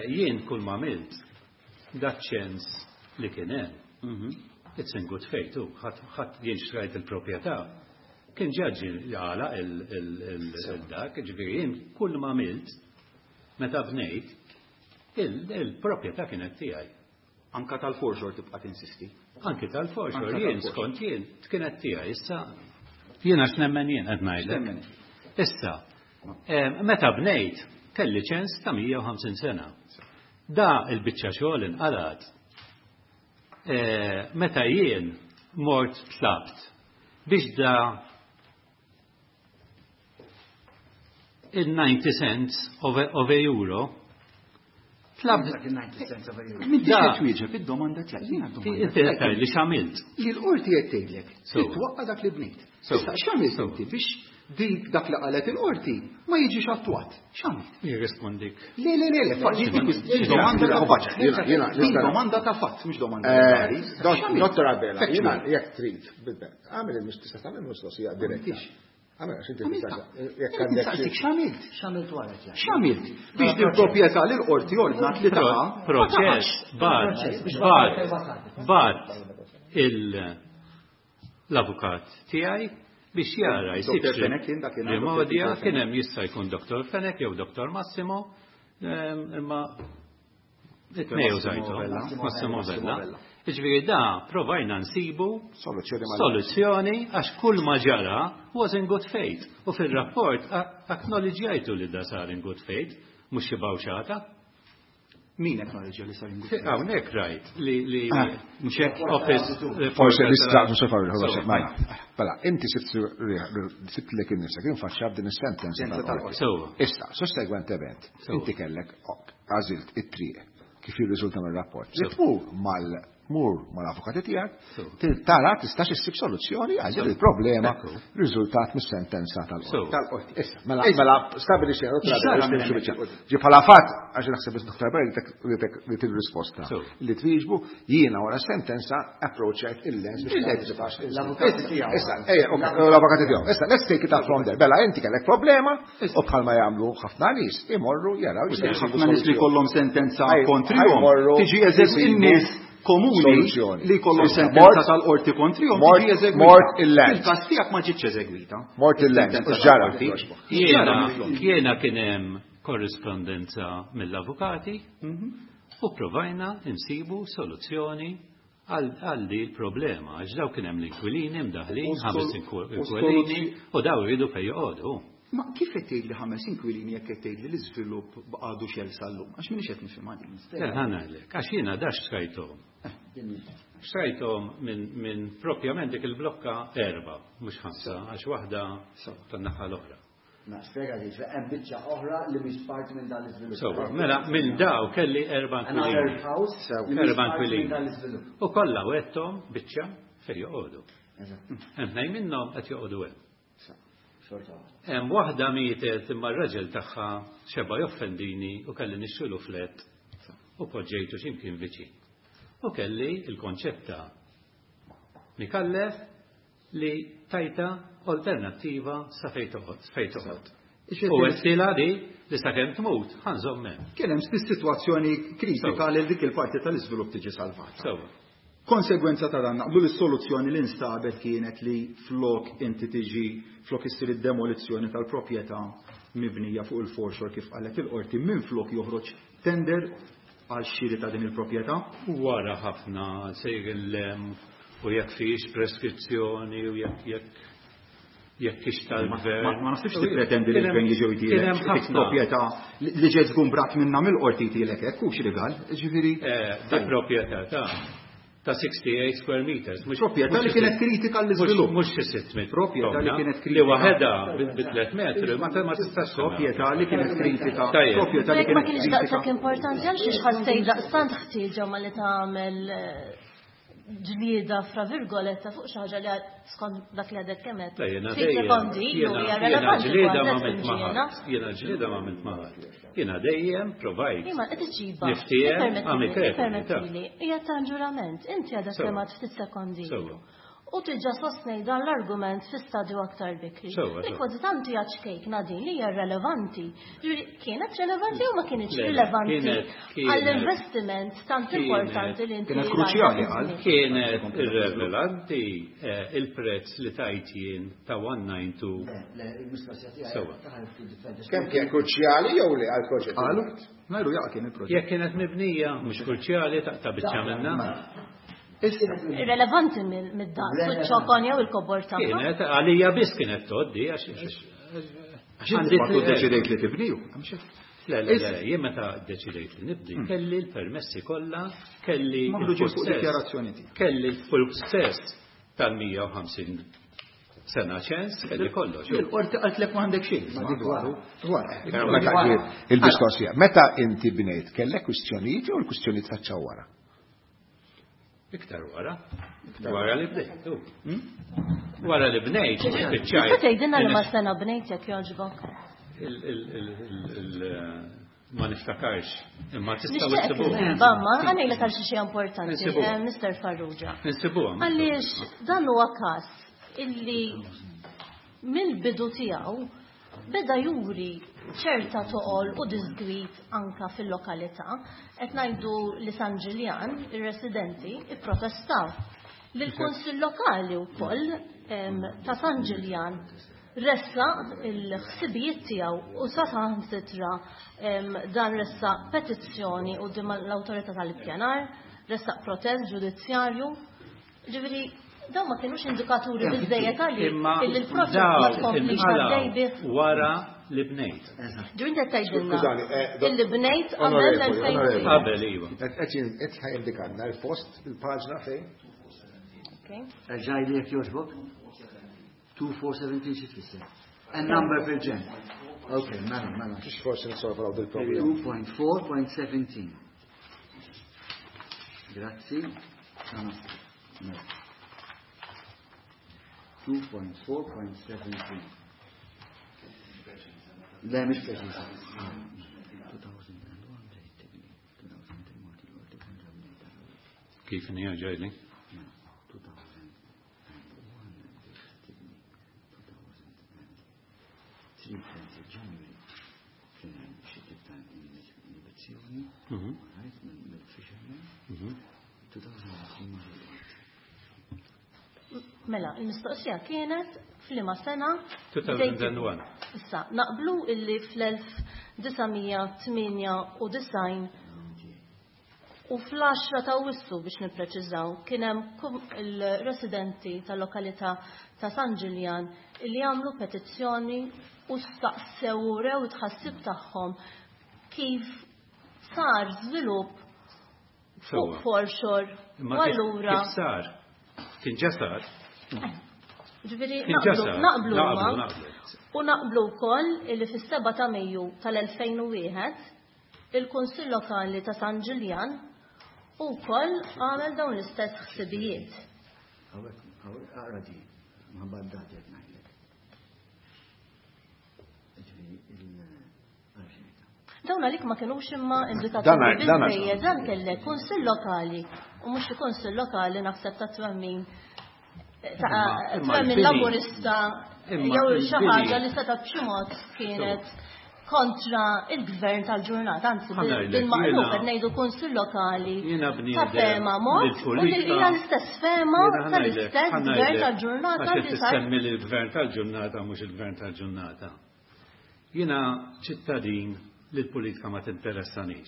Jien kull ma għamilt dak ċens li kien hemm. It's in good faith, u ħadd jien xtrajt il-proprjetà. Kien ġaġġi għala il-dak, ġifieri jien kull ma għamilt meta bnejt il-proprjetà kienet tiegħi. Anka tal-foreshore tibqa' tinsisti. Anki tal-foreshore, jien skont jien kienet tiegħi. Issa jien għax nemmen jien qed ngħidlek. Issa, meta bnejt kelli ċens ta' mija u ħamsin sena. Da il-biċċa xogħol inqalat. Meta jien mort tlabt biex da il-ninety cents of a, of a euro. Tlab il-ninety cents of a euro. Min tixtieq twieġeb id-domanda tiegħek, jiena d-domanda Inti qed tgħid li x'għamilt. Li l-qorti qed tgħidlek, titwaqqa' dak li bnejt. Issa x'għamilt inti biex dik dak li qalet il-qorti ma jiġix attwat? X'għamilt? Jirrispondik. Le, le, le, le, fatt, dik domanda ta' fatt. Din domanda ta' fatt, mhux domanda legali. Dottor Abela, jiena jekk trid, għamel il-mistoqsija, tagħmel mistoqsija diretta. Għamela, x'inti jekk għandek. X'għamilt? X'għamilt wara? X'għamilt? Biex din proprjetà li l-qorti ordnat li taqa' Proċess, bat, bat, bat l-avukat tiegħi biex jara jsib rimodja kien hemm jista' jkun Doktor Fenech jew Doktor Massimo, imma it-tnejn użajthom, Massimo Vella. Ġifieri da provajna nsibu soluzzjoni għax kull ma ġara was in good faith. U fil-rapport acknowledġjajtu li da sar in good faith, mhux xi bawxata. Min acknowledġja li sar in good faith? Hawnhekk rajt li li mhux hekk office. Forse nista' mhux mela. Mela, inti sibt lek innifsek infaċċja b'din is-sentenza tal-qorti. Issa, sussegwentement, inti kellek għażilt it-triq kif jirriżulta mir-rapport. Li tmur mal mur mal-avukati tiegħek, tara tistax issib soluzzjoni għal din il-problema riżultat mis-sentenza tal-qorti. Issa, mela mela stabilixxejna ġi bħala fatt għax naħseb is-Dottor Barry li til-risposta li twieġbu jiena wara sentenza approachajt il-lens biex l-avukati tiegħu. Issa, ejja, l-avukati tiegħu. Issa, let's take it up from there. Bella, inti kellek problema u bħalma jagħmlu ħafna nies imorru jaraw. Ħafna nies li kollhom sentenza kontrihom. Tiġi eżegwi in-nies komuni li kollhom sentenza tal-qorti kontrihom tiġi eżegwita. Mort il-lens. Il-każ tiegħek ma ġietx eżegwita. Mort il-lens. U ġara. Jiena jiena kien hemm korrispondenza mill-avukati u provajna insibu soluzzjoni għal di l-problema. Għax daw kien hemm l-inkwilini mdaħlin, ħames inkwilini u daw jridu fejn joqogħdu. Ma kif qed tgħid li ħames inkwilini jekk qed tgħid li l-iżvilupp għadu xel sal-lum? Għax m'iniex qed nifhimha din. Ħa ngħidlek, għax jiena dax xtrajthom. Xtrajthom minn propjament dik il-blokka erba', mhux ħamsa, għax waħda tan-naħa l-oħra. Ma spjega li hemm biċċa oħra li mhix parti minn dan l-iżvilupp. Sewwa, mela minn daw kelli erba' inkwilini. Erba' inkwilini. U kollha wetthom biċċa fejn joqogħdu. Hemm tnejn minnhom qed joqogħdu hemm. Hemm waħda mietet imma r-raġel tagħha xeba joffendini u kelli nixxilu flet u poġġejtu x'imkien viċin. U kelli il-konċetta Mikallef li tajta alternattiva sa fejn toqgħod, fejn toqgħod. U għedtilha li li sakemm tmut ħa nżomm hemm. Kien hemm sitwazzjoni kritika li dik il-parti tal-iżvilupp tiġi salvata. Konsegwenza ta' dan naqblu l-soluzzjoni li nstabet kienet li flok inti tiġi flok issir id-demolizzjoni tal-proprjetà mibnija fuq il-foreshore kif qalet il-qorti minn flok joħroġ tender għal xiri ta' din il-proprjetà. Wara ħafna sejr il-lem u jekk fiex preskrizzjoni u jekk jekk jekk ix tal-gvern. Ma naħsibx tippretendi li l-gvern jiġu jtilek dik proprjetà li ġiet żgumbrat minnha mill-qorti jtilek hekk hux rigal, ġifieri. Di proprjetà ta' ta' sixty-eight square meters. Proprjetà li kienet kritika l-iżvilupp. Mhux xi sitt metri. Proprjetà li kienet kritika. Li waħedha bi tliet metri ma tistax. Proprjetà li kienet kritika. Proprjetà li kienet Ma kienx daqshekk importanti għal xiex ħassejt daqstant ħtieġa ma li tagħmel ġlieda fra virgoletta fuq xi ħaġa li skont dak li għadek kemm qed. Ftit sekondi ilu hija relevanti. Jiena ġlieda ma għamilt maħat. Jiena ġlieda ma għamilt maħat. Jiena dejjem provajt. Imma qed iġiba. Niftiehem Permettili, hija tanġurament. Inti għadek kemm għad ftit sekondi. U tiġa sostnej dan l-argument fi stadju aktar bikri. Kważi tant hija ċkejkna din li hija relevanti. Kienet relevanti u ma kienx rilevanti għall-investiment tant importanti li inti. Kienet kruċjali għal. Kienet irrelevanti il-prezz li tajt jien ta' one nine two. Kemm kien kruċjali jew li għall-proġett? Qalu, ngħidu jaqa' kien il-proġett. Jekk kienet mibnija mhux kruċjali taqta' biċċa minnha. Irrelevanti mid-daqs, u ċ-ċokon jew il-kobor tagħha. Kienet għalija biss kienet tgħoddi għax għandi deċidejt li tibniju. Le, le, le, jien meta deċidejt li nibdi, kelli l-permessi kollha, kelli dikjarazzjoni tiegħek. Kelli l-full tal-mija u ħamsin sena ċens, kelli kollox. Il-qorti qaltlek ma għandek xejn. Il-mistoqsija, meta inti bnejt kellek kwistjonijiet jew l-kwistjonijiet faċċaw wara? Iktar wara. Wara li bnejt. Wara li bnejt, spiċċajt. Tista' tgħidilna li ma sena bnejt jekk jogħġbok? Ma niftakarx, imma tistgħu issibuha. Bamma, ħa ngħidlek għal xi xi importanti, Mister Farrugia. Insibuha. Għaliex dan huwa każ illi mill-bidu tiegħu beda juri ċerta toqol u disgwid anka fil-lokalità. Qed ngħidu li San Ġiljan, ir-residenti, ipprotestaw. Li l-Kunsill Lokali wkoll ta' San Ġiljan ressaq il-ħsibijiet tiegħu u sa saħansitra dan ressaq petizzjoni quddiem l-Awtorità tal-Ippjanar, ressaq protest ġudizzjarju. Ġifieri dawn ma kienux indikaturi biżejjed għalik illi l-proċess ma tkomplix għaddej bih. Wara li bnejt. Ġifieri inti qed tgħidilna illi bnejt qabel l-elfejn. Qabel, iva. Qed ħajindikanna l-post, il-paġna fejn? Erġajli jekk jogħġbok. two four seventeen xi tfisser? A number fil-ġen. Ok, mela, mela. Xiex forsi nisolvaw dil-problema. two point four point seventeen. Grazzi. two point four point seventeen. Le, mhix preċiża. Kif inhi ġejli? Mela, il-mistoqsija kienet f'liema sena? two thousand one. Issa, naqblu illi fl-elf disa' mija tmienja u disgħin u fl-għaxra ta' Awwissu biex nippreċiżaw kien hemm il-residenti tal-lokalità ta' San Ġiljan illi għamlu petizzjoni u staqsew u rew tħassib tagħhom kif sar żvilupp fuq foreshore. Imma U allura kif sar? Kien ġa sar. Ġifieri Kien ġa sar. naqblu Naqblu, ma. naqblu. U naqblu wkoll illi fis-seba' ta' Mejju tal-elfejn u wieħed il-Kunsill Lokali ta' San Ġiljan ukoll għamel dawn l-istess ħsibijiet. Hawnhekk, hawnhekk, aqra di, ma baddati qed ngħidlek. Ġifieri il-arxejta. Dawn għalik ma kinux imma indikaturi Dan għal- dan għal- biżejjed, dan kellek Kunsill Lokali u mhux il-Kunsill Lokali naħseb ta' twemmin ta' Imma- imma twemmin l-bini. Laburista Imma jew xi l-bini. ħaġa li seta' b'xi mod kienet kontra il-gvern tal-ġurnata, anzi Ħa ngħidlek, bil-maqlub jiena qed ngħidu Kunsill Lokali jiena ta' bniedem fema mod u li bil-politika. hija l-istess fema Jiena ħa ngħidlek, tal-istess ħa gvern ngħidlek, tal-ġurnata għax li qed sar tissemmi l-gvern tal-ġurnata mhux il-gvern tal-ġurnata. Jiena ċittadin li l-politika ma tinteressanix.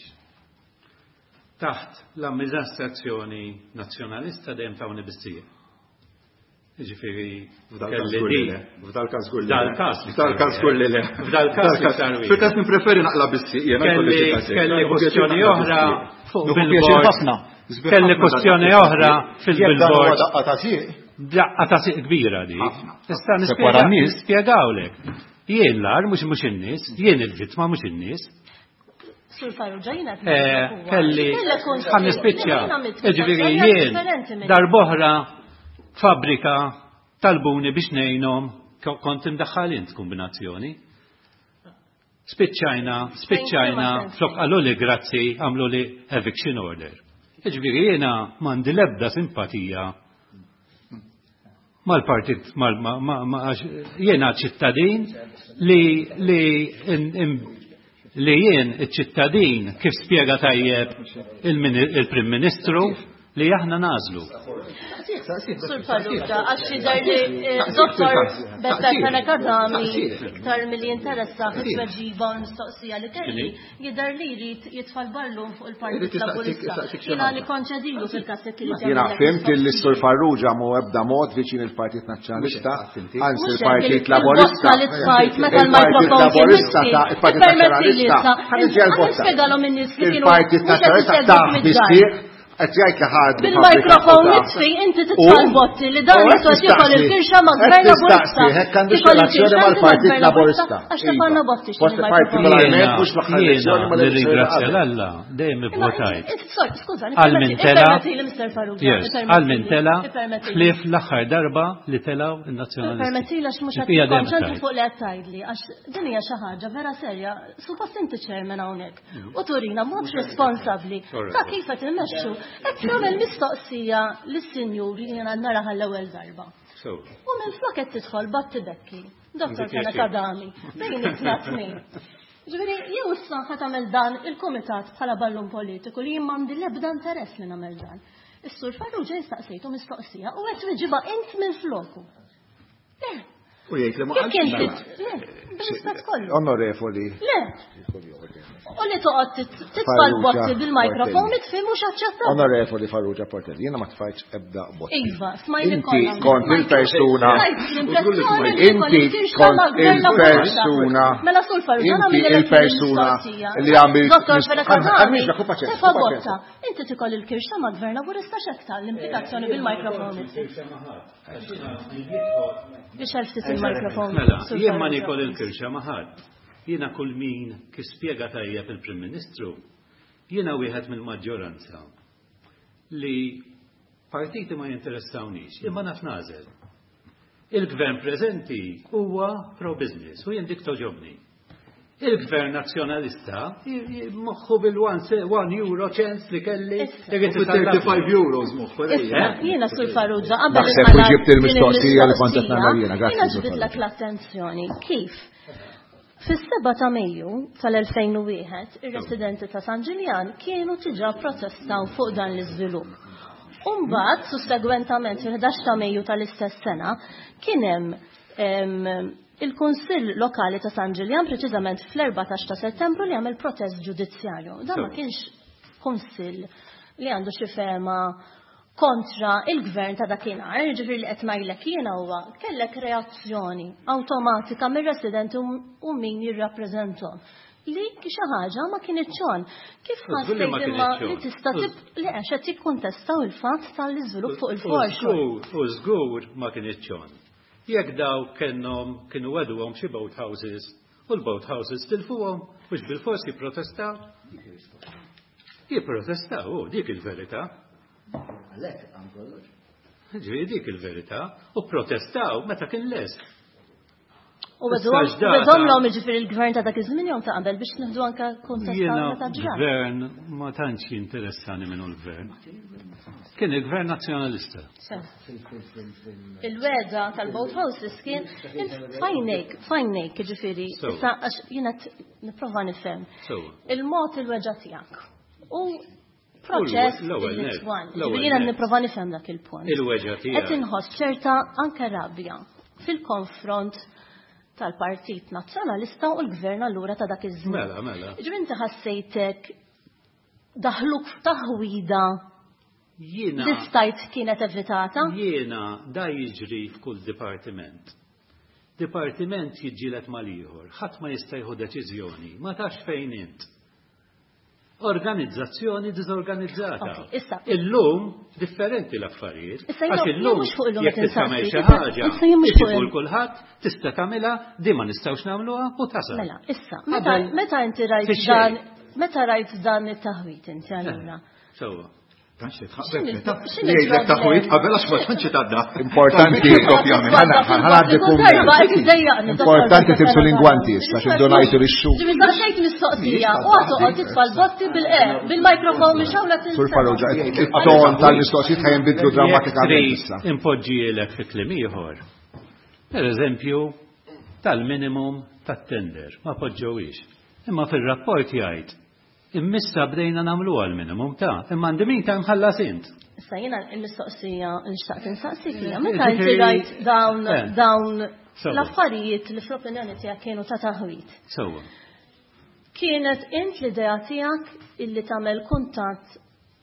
Taħt l-amministrazzjoni nazzjonalista dejjem tawni bissieq. Ġifieri, F'dal kelli każ żgur li di. le. F'dal każ żgur li le. F'dal każ li F'dal każ żgur li le. F'dal każ li sar wieħed. Fil-każ nippreferi naqla bissieq, jiena Kelli jkolli xi każ. kelli Nieħu pjaċir kwestjoni naqla oħra bissieq. fuq Nieħu billboard. pjaċir ħafna. Sbieħ Kelli ħafna kwestjoni daqqa oħra ta' sieq. fil-billboard. Jekk dan huwa daqqa ta' sieq. Daqqa ta' sieq kbira di. Ħafna. Tista' Se nispjega- wara n-nies. nispjegawlek. Jien l-ar mhux mhux in-nies, jien il-vittma mhux in-nies. Sur Farrugia, jiena qed Eh, ngħidlek huwa. Kelli Kellek kunsill. ħa nispiċċa. Jiena għamilt Jiġifieri mistoqsija jien differenti minn darb'oħra fabbrika talbuni biex ngħinhom ko-, kont imdaħħal int kombinazzjoni. Spiċċajna, spiċċajna, Fejn flok qalu li grazzi, għamlu li eviction order. Jiġifieri jiena m'għandi l-ebda simpatija mal-partit, mal, ma, ma, ma, għax jiena ċittadin li, li, in, in, li jien iċ-ċittadin kif spjega tajjeb il-mini-, il-Prim Ministru li aħna nażlu. Sur Farrugia, għax jidher li, eh, Dottor Beppe Fenech Adami iktar milli jinteressa fit-tweġiba u l-mistoqsija li kelli, jidher li jrid jitfa' l-ballun fuq il-Partit Irid jistaqsik- Laburista. jistaqsik xi Jiena ħaġa. nikkonċedilu fil-każ jekk irid Jiena jagħmel fhimt li mistoqsija. s-Sur Farrugia mhu ebda mod viċin il-Partit Nazzjonalista, Mhux hekk, inti. anzi Mhux hekk, il-Partit il-botta Laburista. li tfajt meta Il-Partit l-mikrofon kien Laburista miski. ta' il-Partit Ippermetti li Nazzjonalista. issa, Ħa niġi għall-botta. nispjegalhom in-nies li kienu Il-Partit mhux qed Nazzjonalista isegwu ta' mid-dar. bissieq qed jgħid li ħad Bil-mikrofon fabbrika mitfi, inti titfa' U- l-botti li dan u qed jiswa tiekol tistaqsi, il-firxa ma' qed gvern Laburista. tistaqsi, hekk għandu Tiekol relazzjoni il-firxa mal-Partit ma' gvern Laburista. Għax tefgħalna botti x'inhi Post il-mikrofon. partikolarment Jiena- mhux l-aħħar jiena elezzjoni ma' l-elezzjoni nirringrazzja qabel. l-Alla dejjem Imma ivvotajt. inti- inti- sorry, skuża, Għal min tela- ippermetti li Mister Farrugia, Yes, ippermetti għal min li, tela ippermetti li. ħlief l-aħħar darba li telaw in-nazzjonalisti. Permetti li għax mhux qed Il-bija dejjem tikkonċentra tajt. fuq li qed tgħidli, għax din hija xi ħaġa vera serja, suppost inti chairman hawnhekk u turina mod responsabbli Correct. ta' kif qed immexxu. Qed tagħmel mistoqsija lis-sinjur li jiena naraha l-ewwel darba. So. U minn flok qed tidħol battibekki Dottor Fenech Adami, bejn tnejn. Ġifieri, jew issa ħa tagħmel dan il-kumitat bħala ballun politiku li jien m'għandi l-ebda interess li nagħmel dan. Is-Sur Farrugia jistaqsejtu mistoqsija u qed tweġibha int minn floku. Le. U jgħid li ma Jekk inti le, bl-istat kollu. Onorevoli. Le. U li toqgħod titfa' l-botti bil-mikrofon mitfi mhux aċċettabbli. Onorevoli Farrugia Portelli, jiena ma tfajtx ebda botti. Iva, smajni Inti kollha. kont il-persuna. Inti Inti kont il-persuna. Mela Sur Farrugia Inti nagħmel il-persuna li għamilt. Dottor Fenech Adami, Għamilx, paċenza, tefa' paċenza. botta. Inti tikol il-kirxa ma' gvern laburista x'hekk l-implikazzjoni bil-mikrofon. Biex ftit il-mikrofon. Mela, Sur jien ma Farrugia. nikol il-kirxa ma ħadd. Jiena kull min kif spjega tajjeb il-Prim Ministru, jiena wieħed mill-maġġoranza li partiti ma jinteressawniex, imma naf nagħżel. Il-gvern preżenti huwa pro-business u jien dik toġobni. Il-gvern nazzjonalista moħħu bil-one euro cents li kelli. Issa. irrid isallafni. thirty-five euros moħħu. Issa, jiena Sur Farrugia, qabel Naħseb inħallas u ġibt din il-mistoqsija li kont qed nagħmel jiena, grazzi, Jiena Sur ġbidlek Farrugia. l-attenzjoni. Kif? Fis-seba ta' Mejju tal-elfejn u wieħed, ir-residenti ta' San Ġiljan kienu diġà protestaw fuq dan l-iżvilupp. Umbagħad, sussegwentament fil-ħdax ta' Mejju tal-istess sena, kien hemm em, il-Kunsill Lokali ta' San Ġiljan preċiżament fl-erbatax ta' Settembru li għamel protest ġudizzjarju. Dan ma Sewa. kienx kunsill li għandu xi fema kontra il-gvern ta' dakinhar, ġifieri li qed ngħidlek jiena huwa kellek reazzjoni awtomatika mir-residenti u min jirrappreżentom. Li xi ħaġa ma kienitx on. Kif U żgur li ma ħassejt imma kienitx on. li tista' tib li għax qed jikkuntestaw il-fatt tal-iżvilupp fuq U il-forxor. żgur, u żgur ma kienitx on. Jekk daw kellhom kienu wedhom xi boat houses u l-boat houses tilfuhom mhux bil-fors jipprotestaw. Jipprotestaw, u dik il-verità. Għalhekk għam kollox. Ġifieri dik il-verità. U protestaw meta kien lest. U Issa x'data? wedhom l-om jiġifieri il-gvern ta' dak iż-żmien jew ta' qabel biex nieħdu anke kuntestaw Jiena meta ġra. gvern ma tantx jinteressani minnu l-gvern. Kien il-gvern nazzjonalista. Sew. Il-weda tal-boat houses kien fajnejk, fajnejk ġifieri, Sew. issa għax jiena t- nipprova nifhem. Sewa. Il-mod il-weġa tiegħek. U proċess L-ewwel li net, twan. l-ewwel Ġifieri jiena net. nipprova nifhem dak il-punt. Il-weġa Qed tiegħek. inħoss ċerta anke rabja fil-konfront tal-Partit Nazzjonalista u l-Gvern allura ta' dak iż-żmien. Mela, mela. Ġifieri inti ħassejtek daħluk f'taħwida Jiena li stajt kienet evitata? Jiena da jiġri f'kull dipartiment. Dipartiment jiġġieled mal-ieħor, ħadd ma jista' jieħu deċiżjoni, ma tafx fejn int. Organizzazzjoni diżorganizzata. Ok, issa. Illum differenti l-affarijiet. Issa jiena- Għax jien illum mhux fuq illum jekk qed tista' tagħmel insaqsi, xi issa- ħaġa, issa jien mhux fuq iġibu il- l kulħadd, tista' tagħmilha, di ma nistgħux nagħmluha u tasal. Mela, issa, meta Qabel- meta inti rajt Fix-xejn. dan, meta rajt dan it-taħwit inti allura? Sewwa. Tantx titħabbeb X'inhi- meta x'inhi li jgħidlek l-problema? taħwit qabel għax ma tantx tgħadda. Importanti. Ovvjament. Ħanaddi Kull darba qed iddejjaqni, Importanti Dottor tibsu l-ingwanti Fenech issa, Adami. x'indunajtu lix-xhur. Ġifieri saqsejt mistoqsija u għad toqgħod titfa' l-botti bil-qer, bil-mikrofon mhix hawn Sur Farrugia, it-ton tal-mistoqsijiet ħa jinbidlu drammatikament Jekk issa. trid impoġġielek fi kliem ieħor. Per eżempju, tal-minimum tat-tender, ma poġġewix. Imma fir-rapport jgħid immissa bdejna nagħmlu għal-minimum ta' imma għandi min ta' mħallas int. Issa jiena l-mistoqsija li xtaqt insaqsik hija meta inti Ġifieri- rajt dawn Eh. dawn Sewwa. l-affarijiet li fl-opinjoni tiegħek kienu ta' taħwit. Sewwa. Kienet int l-idea tiegħek illi tagħmel kuntatt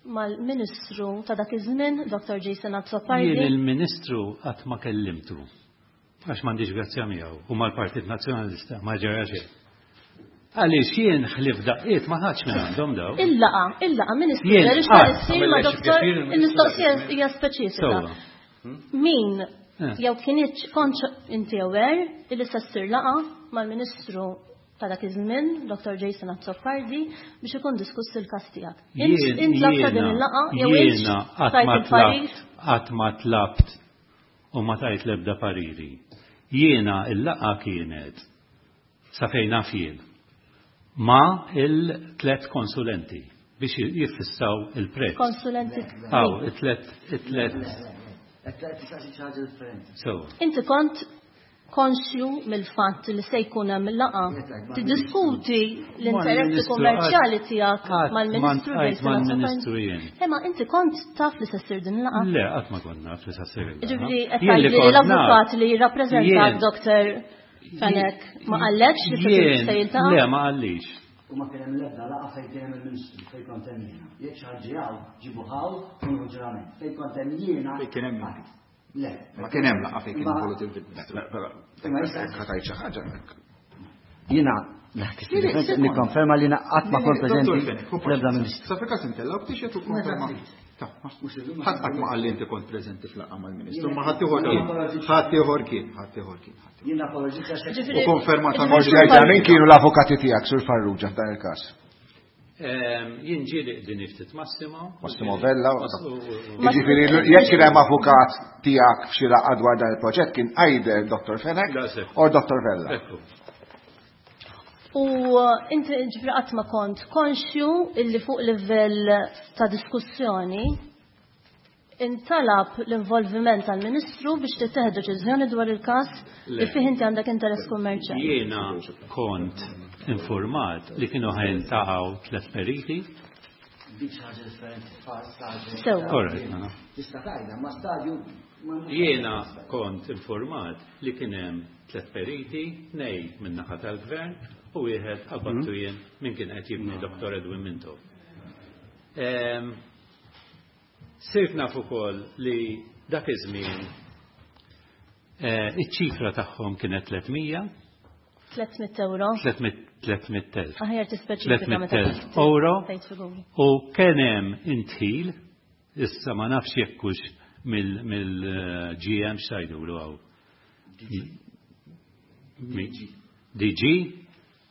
mal-Ministru ta' dak iż-żmien, Dottor Jason Azzopardi? Jien il-Ministru qatt ma kellimtu. Għax m'għandix grazzja miegħu u mal-Partit Nazzjonalista ma ġara xejn. Għaliex jien ħlif daqqiet ma ħadx minn għandhom daw. Il-laqa, il-laqa Ministru, Jien għaliex qatt ma issir ma' doktor, il-mistoqsija hija speċifika. Sewwa. Min Eh. jew kienieċ kontx inti aware illi se ssir laqa mal-Ministru ta' dak iż-żmien, Dottor Jason Azzopardi, biex ikun diskuss il-każ tiegħek. Jien- Int tlabta din jiena- il-laqa jew int Jiena qatt tajt ma il-parir? tlabt, qatt ma tlabt u ma tajt l-ebda pariri. Jiena il-laqa kienet sa fejn naf jien ma il-tlet konsulenti biex jiffissaw il-prezz. Konsulenti. Aw, it-tlet, it-tlet. Qed tistaqsi xi ħaġa differenti. So, Inti kont konxju mill-fatt li se jkun hemm laqgħa tiddiskuti l-interessi kummerċjali tiegħek mal-Ministru mal-Ministru jien. Imma inti kont taf li se ssir din laqgħa? Le, qatt ma kont naf li se ssir il-laqgħa. Ġifieri qed tgħidli l-avukat li jirrappreżentak Doktor Fenech ma qallekx li se jiltaqa'? Le, ma qallix. U ma kien hemm l-ebda laqgħa fejn kien hemm il-Ministru fejn kont hemm jiena. Jekk xi ħadd ġie hawn, ġibu hawn u ġurament. Fejn kont hemm jiena. Fejn kien hemm Le. Ma kien hemm laqgħa fejn kien involut il-Ministru. Ħa tgħid xi ħaġa. Jiena nikkonferma li qatt ma kont preżenti fl-ebda Ministru. Sa fil-każ intellgħu btixet u konferma. Ħadd qatt ma qal li inti kont preżenti fl-laqgħa mal-Ministru, ma ħadd ieħor kien. Ħadd ieħor kien, ħadd ieħor kien. Jiena apologizza U konferma ta' Forsi jgħidha min kienu l-avukati tiegħek Sur Farrugia f'dan il-każ. Jien ġieli qegħdin ftit Massimo. Massimo Vella. Jiġifieri jekk kien hemm avukat tiegħek f'xi laqgħa dwar dan il-proġett kien either Doktor Fenech or Doktor Vella. U inti ġifieri qatt ma kont konxju illi fuq livell ta' diskussjoni intalab l-involviment tal-Ministru biex tittieħed deċiżjoni dwar il-każ li fih inti għandek interess kummerċjali. Jiena kont informat li kienu ħajltaqgħu tliet periti. Dik xi ħaġa differenti stadju. Sewwa. Korrett. Tista' tgħidha ma stadju. Jiena kont informat li kien hemm tliet periti, tnejn min-naħa tal-Gvern u wieħed qabattu jien min kien qed jibni Doktor Edwin Mintoff. Sirt naf ukoll li dak iż-żmien iċ-ċifra tagħhom kienet tliet mija. tliet mitt euro. tliet mitt elf. Aħjar tispeċifika meta tliet mitt elf euro. tgħid figuri. U kien hemm intħil, issa ma nafx jekk hux mill-G M x'għidulu hawn. D G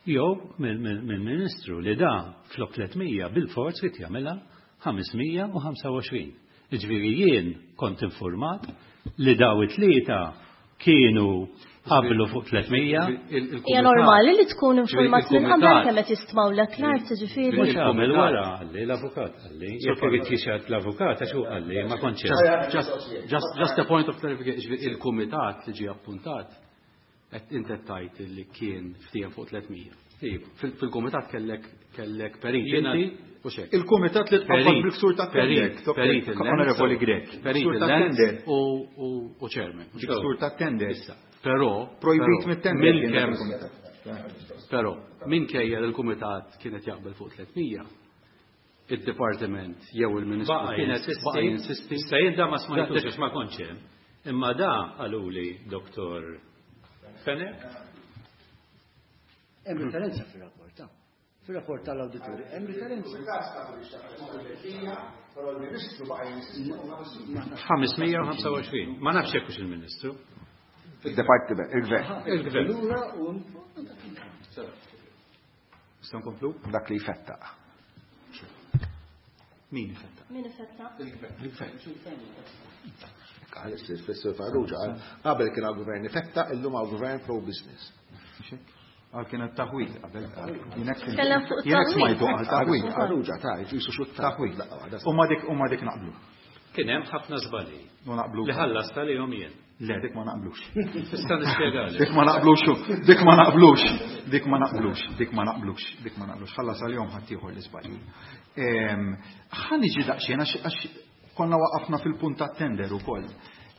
jew mill-Ministru li da flok tliet mija bil-forz li jagħmilha ħames mija u ħamsa u għoxrin. Jiġifieri jien kont informat li daw it-tlieta kienu qablu fuq tliet mija. Hija normali li tkun informat minn qabel kemm qed jistmawlek l-art, jiġifieri. Mhux qabel wara qalli l-avukat qalli. Jekk irid jixgħad l-avukat għax hu qalli ma kontx hemm. Just, just a point of clarification, jiġifieri il-kumitat li ġie appuntat qed inti tajt li kien ftiehem fuq tliet mija. Iva. Fil-kumitat kellek kellek perit Jiena inti u xejn. Il-kumitat li tqabbad Perit, bil-ksur ta' perit, tender, perit il-lens, Onorevoli Grech. Perit Ksur ta' il-lens tender. u, u, u chairman. Ksur ta' tender. Issa. Però, Projbit però, mit-tender minn kien dak kemm il-kumitat. Però, minkejja li l-kumitat kienet jaqbel fuq tliet mija, id-dipartiment jew il-Ministru Baqa' kienet jinsisti. baqa' jinsisti. Issa jien da ma smajtux għax ma kontx hemm. Imma da qaluli Doktor Fenech. Hemm referenza fir-rapport, ta' fir-rapport tal-awditur, hemm referenza. ħames mija u ħamsa u għoxrin. Ma nafx jekk hux il-Ministru. Il-Departiment, il-Gvern. Il-Gvern. Lura u Nistgħu nkomplu? Dak li jfettaq. Min ifettaq? Min ifettaq? Il-Gvern. Għal is-Sur Farrugia, għal qabel kien għal-Gvern ifettaq, illum għal-Gvern pro-business. Għal kien taħwit qabel. Jiena Tkellem fuq Jiena taħwit. smajtu għal taħwit. Farrugia, ta' jisu xut Taħwit. taħwit. U ma dik u ma dik naqblu. Kien hemm ħafna żbalji. U naqblu. Li ħallas tal-jom jien. Le, dik ma naqblux. Tista' nispjegali. Dik ma naqblux, dik ma naqblux, dik ma naqblux, dik ma naqblux, dik ma naqblux. Ħallas għal-jom ħadd ieħor l-iżbalji. Ehm, ħa niġi daqsxejn għax għax konna waqafna fil-punt tat-tender ukoll.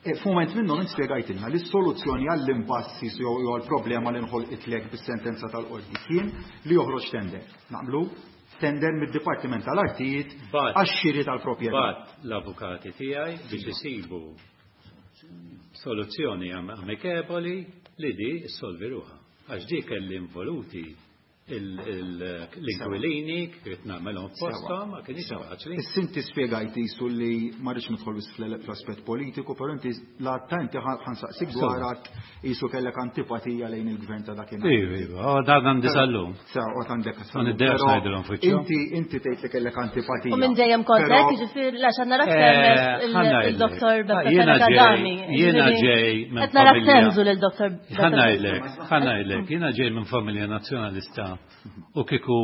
E, f'mument minnhom int spjegajtilna li s-soluzzjoni għall-impassi jew għall-problema li nħolqitlek bis-sentenza tal-qorti kien li joħroġ tender. Naqblu? Tender mid-Dipartiment tal-Artijiet Bat- għax-xiri tal-proprjetà. Bat l-avukati tiegħi biex isibu soluzzjoni amikevoli li di ssolvi ruħha. Għax di kelli involuti l-inkwilini, kif nagħmelhom f'posthom, ma kienx faċli. Issa inti spjegajt isu li ma rridx nidħol biss fl-aspett politiku, però inti la ta' inti ħansaqsik dwar għad isu kellek antipatija lejn il-gvern ta' dakinhar. Iva, iva, oh, dan għandi sal-lum. Sa, u għandek Ma sal-lum. niddejax Però ngħidilhom f'wiċċhom. Inti, inti tgħid li kellek antipatija. U minn dejjem kont Però hekk, jiġifieri għax għandna Eh, raktem ħa ngħidlek. il-Doktor Beppe Jiena Fenech ġej- Adami. jiena Jiġifieri, ġej minn qed nara familja. tenżu lil Doktor Beppe Ħa ngħidlek, ħa ngħidlek, jiena ġej minn familja nazzjonalista u kieku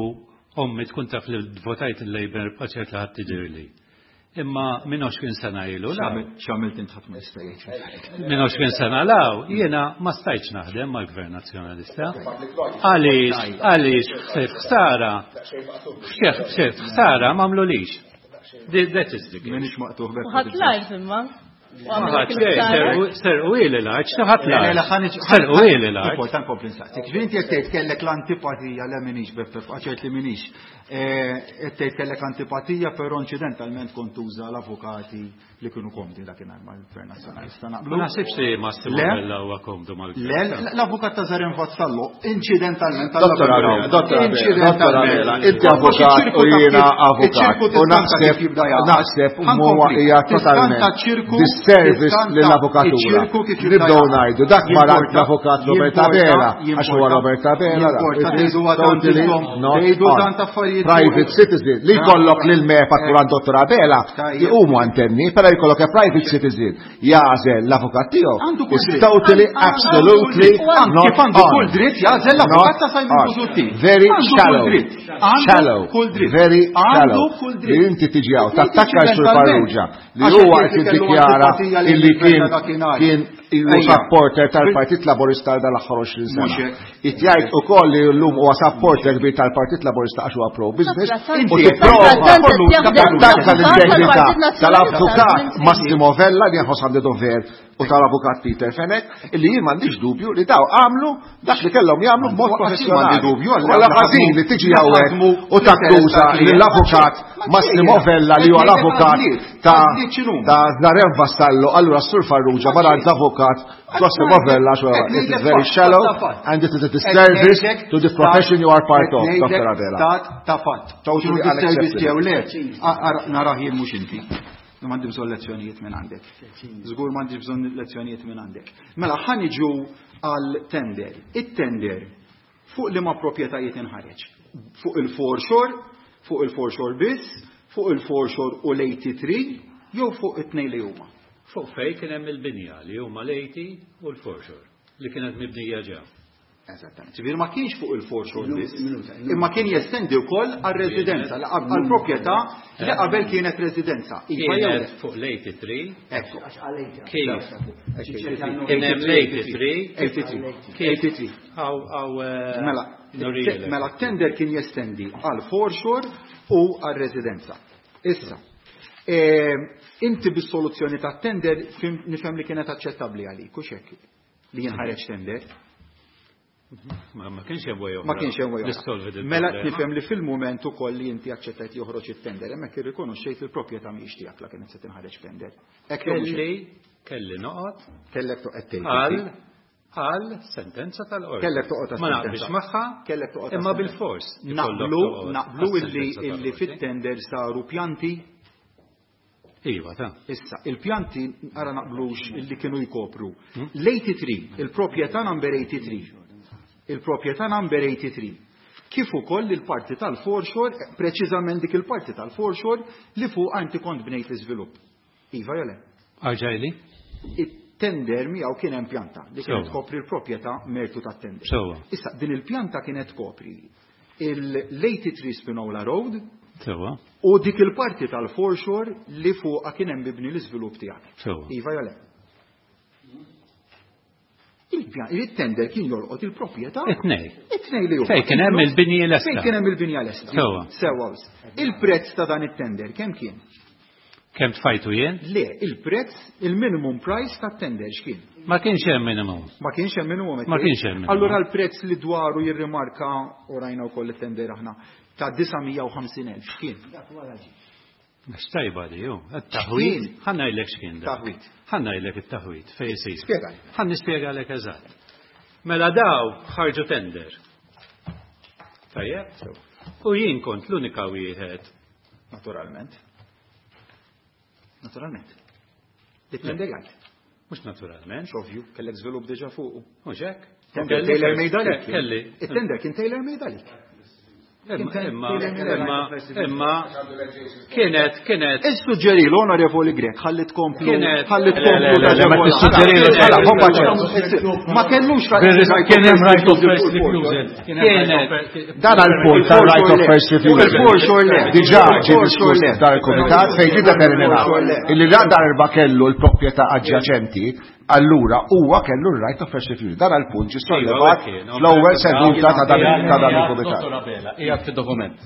ommi tkun taf li votajt il-Labour paċert li ħadd tiġirli. Imma minn għoxrin sena ilu la. X'għamilt int ħadd ma jista' jgħid. Minn għoxrin sena law, jiena ma stajtx naħdem mal-Gvern Nazzjonalista. Għaliex, għaliex, ħsef ħsara, ħsef ħsara m'għamlulix. That is the case. Minix maqtuħ bekk. Ħadd l-art imma. Serqu ili l-art, x'ħadd l-art. Serqu ili l-art. Important kompli nsaqsik. Ġifieri inti qed tgħid kellek l-antipatija, le minix Beppe, ċert li minix. Qed tgħid kellek antipatija, però inċidentalment kont tuża l-avukati li kienu komdi dakinhar mal-Gvern Nazzjonalista. Naqblu? Ma naħsibx li Massimo Vella huwa komdu mal-Gvern. Le, l-avukat ta' Zaren Vassallo, incidentalment Dottor Abela, Dottor Abela, Dottor Abela, inti avukat u jiena avukat. U naħseb, naħseb huwa hija totalment disservice lill-avukatura. Nibdew ngħidu dak mara l-avukat Robert Abela, għax huwa Robert Abela, private citizen li jkollok lil MEPA kuran Dottor Abela, jqumu antenni, però jkollok a private citizen jagħżel l-avukat tiegħu. Is totally, absolutely not Kif għandu kull dritt jagħżel l-avukat ta' Simon Busuttil. Very shallow. Shallow. Very shallow. Li inti tiġi hawn tattakka s-Sur Farrugia li huwa qed jiddikjara illi kien kien ilu supporter tal-Partit Laburista dal-aħħar għoxrin sena. Itjajt ukoll li llum huwa supporter kbir tal-Partit Laburista għax huwa pro-business u tipprova tattakka l-integrità tal-avukat Massimo Vella li nħoss għandi dover u tal-avukat Peter Fenech illi jien m'għandix dubju li daw għamlu dak li kellhom jagħmlu b'mod professjonali. Wala ħażin li tiġi hawnhekk u takkuża lill-avukat Massimo Vella li huwa l-avukat ta' ta' Zaren Vassallo, allura s-Sur Farrugia mara l-avukat Massimo Vella, it is very shallow and it is a disservice to the profession you are part of, Doctor Abela. Ta' fatt. Totally Disservice unacceptable. jew le, narah jien mhux inti. M'għandi bżonn lezzjonijiet minn għandek. Żgur m'għandix bżonn lezzjonijiet minn għandek. Mela ħa niġu għal tender. It-tender fuq liema proprjetajiet inħareġ? Fuq il-foreshore, fuq il-foreshore biss, fuq il-foreshore u l-eighty-three, jew fuq it-tnejn li huma? Fuq fejn kien hemm il-binja li huma l-eighty u l-foreshore li kienet mibnija ġew. Eżattament. Ġifieri ma kienx fuq il-foreshore biss, imma kien jestendi wkoll għar-residenza, għall-proprjetà li qabel kienet residenza. Iva jew Kienet fuq l-eighty-three. Ekku. Kif? Kien hemm l-eighty-three. eighty-three. Kif? eighty-three. Aw, aw, eh, Mela, norilek. mela tender kien jestendi għal foreshore u għal residenza. Issa, eh, inti bis-soluzzjoni ta' tender fim-, nifhem li kienet aċċettabbli għalik, u xek li jinħareġ tender? Ma, ma kienx hemm way oħra. Ma kienx hemm way oħra. Nissolvi din Mela problema. nifhem li fil-mument ukoll li inti aċċettajt joħroġ it-tender, hemmhekk irrikonoxxejt li l-proprjetà mhijiex tiegħek la kienet se tinħareġ tender. Hekk jew mhux hekk? Kelli, kelli noqgħod Kellek toqgħod tgħid. għal għal sentenza tal-qorti. Kellek toqgħod Ma għas-sentenza. naqbilx magħha, Kellek toqgħod imma għas-sentenza. bil-fors ikollok Naqblu, toqgħod naqblu għas-sentenza illi illi tal-qorti. fit-tender saru pjanti. Iva, ta' Issa, il-pjanti ara naqblux illi kienu jkopru. L-eighty-three, il-proprjetà number eighty-three. Il-proprjetà number eighty-three. Kif ukoll il-parti tal-foreshore, preċiżament dik il-parti tal-foreshore li fuq inti kont bnejt l-iżvilupp. Iva jew le? Arġajli? It-tender miegħu kien hemm pjanta li kienet Sewwa. tkopri l-proprjetà mertu tat-tender. Sewwa. Issa, din il-pjanta kienet tkopri l-eighty-three Spinola Road Sewwa. u dik il-parti tal-foreshore li fuqha kien hemm mibni l-iżvilupp tiegħek. Sewwa. Iva jew le? Il-pjan, il-tender kien jolqot il-proprjetà. It-tnej. It-tnej li huma. Fejn kien hemm il-binji lesta. Fejn kien hemm il-binja lesta. Sewwa. Sewwa. Il-prezz ta' dan it-tender kemm kien? Kemm tfajtu jien? Le, il-prezz, il-minimum price tat-tender x'kien? Ma kienx hemm minimum. Ma kienx hemm minimum. Ma kienx hemm minimum. Allura l-prezz li dwaru jirrimarka u rajna wkoll it-tender aħna ta' disa' mija u ħamsin elf x'kien? X'tajba di, ju. It-taħwit. X'kien? Ħa ngħidlek x'kien dak. Taħwit. Ħa ngħidlek it-taħwit fejn isir. Spjegali. Ħa nispjegalek eżatt. Mela daw ħarġu tender. Tajjeb? U jien kont l-unika wieħed. Naturalment. Naturalment. It-tender jgħid. Mhux naturalment. Ovvju, kellek żvilupp diġà fuqu. Mhux hekk? Tender Kelli tailor made għalik. Kelli. It-tender kien tailor made għalik. Imma, imma, imma, kienet, kienet. Issuġġerilu, Onorevoli Grech, ħalli tkomplu. Kienet. Ħalli tkomplu. Le, le, le, ma tissuġġerilu. Ma kellux Kien hemm right of first refusal. Kienet. Dan għal-punt tal-right of first refusal. Il-foreshore le. Diġà ġie diskuss dan il-komitat fejn ġie determinat illi la darba kellu l-proprjetà adjaċenti, allura huwa kellu r-right of first refusal. Dan għal-punt ġie sollevat fl-ewwel seduta ta' dan il-komitat. Dottor Abela, qiegħed fid-dokument.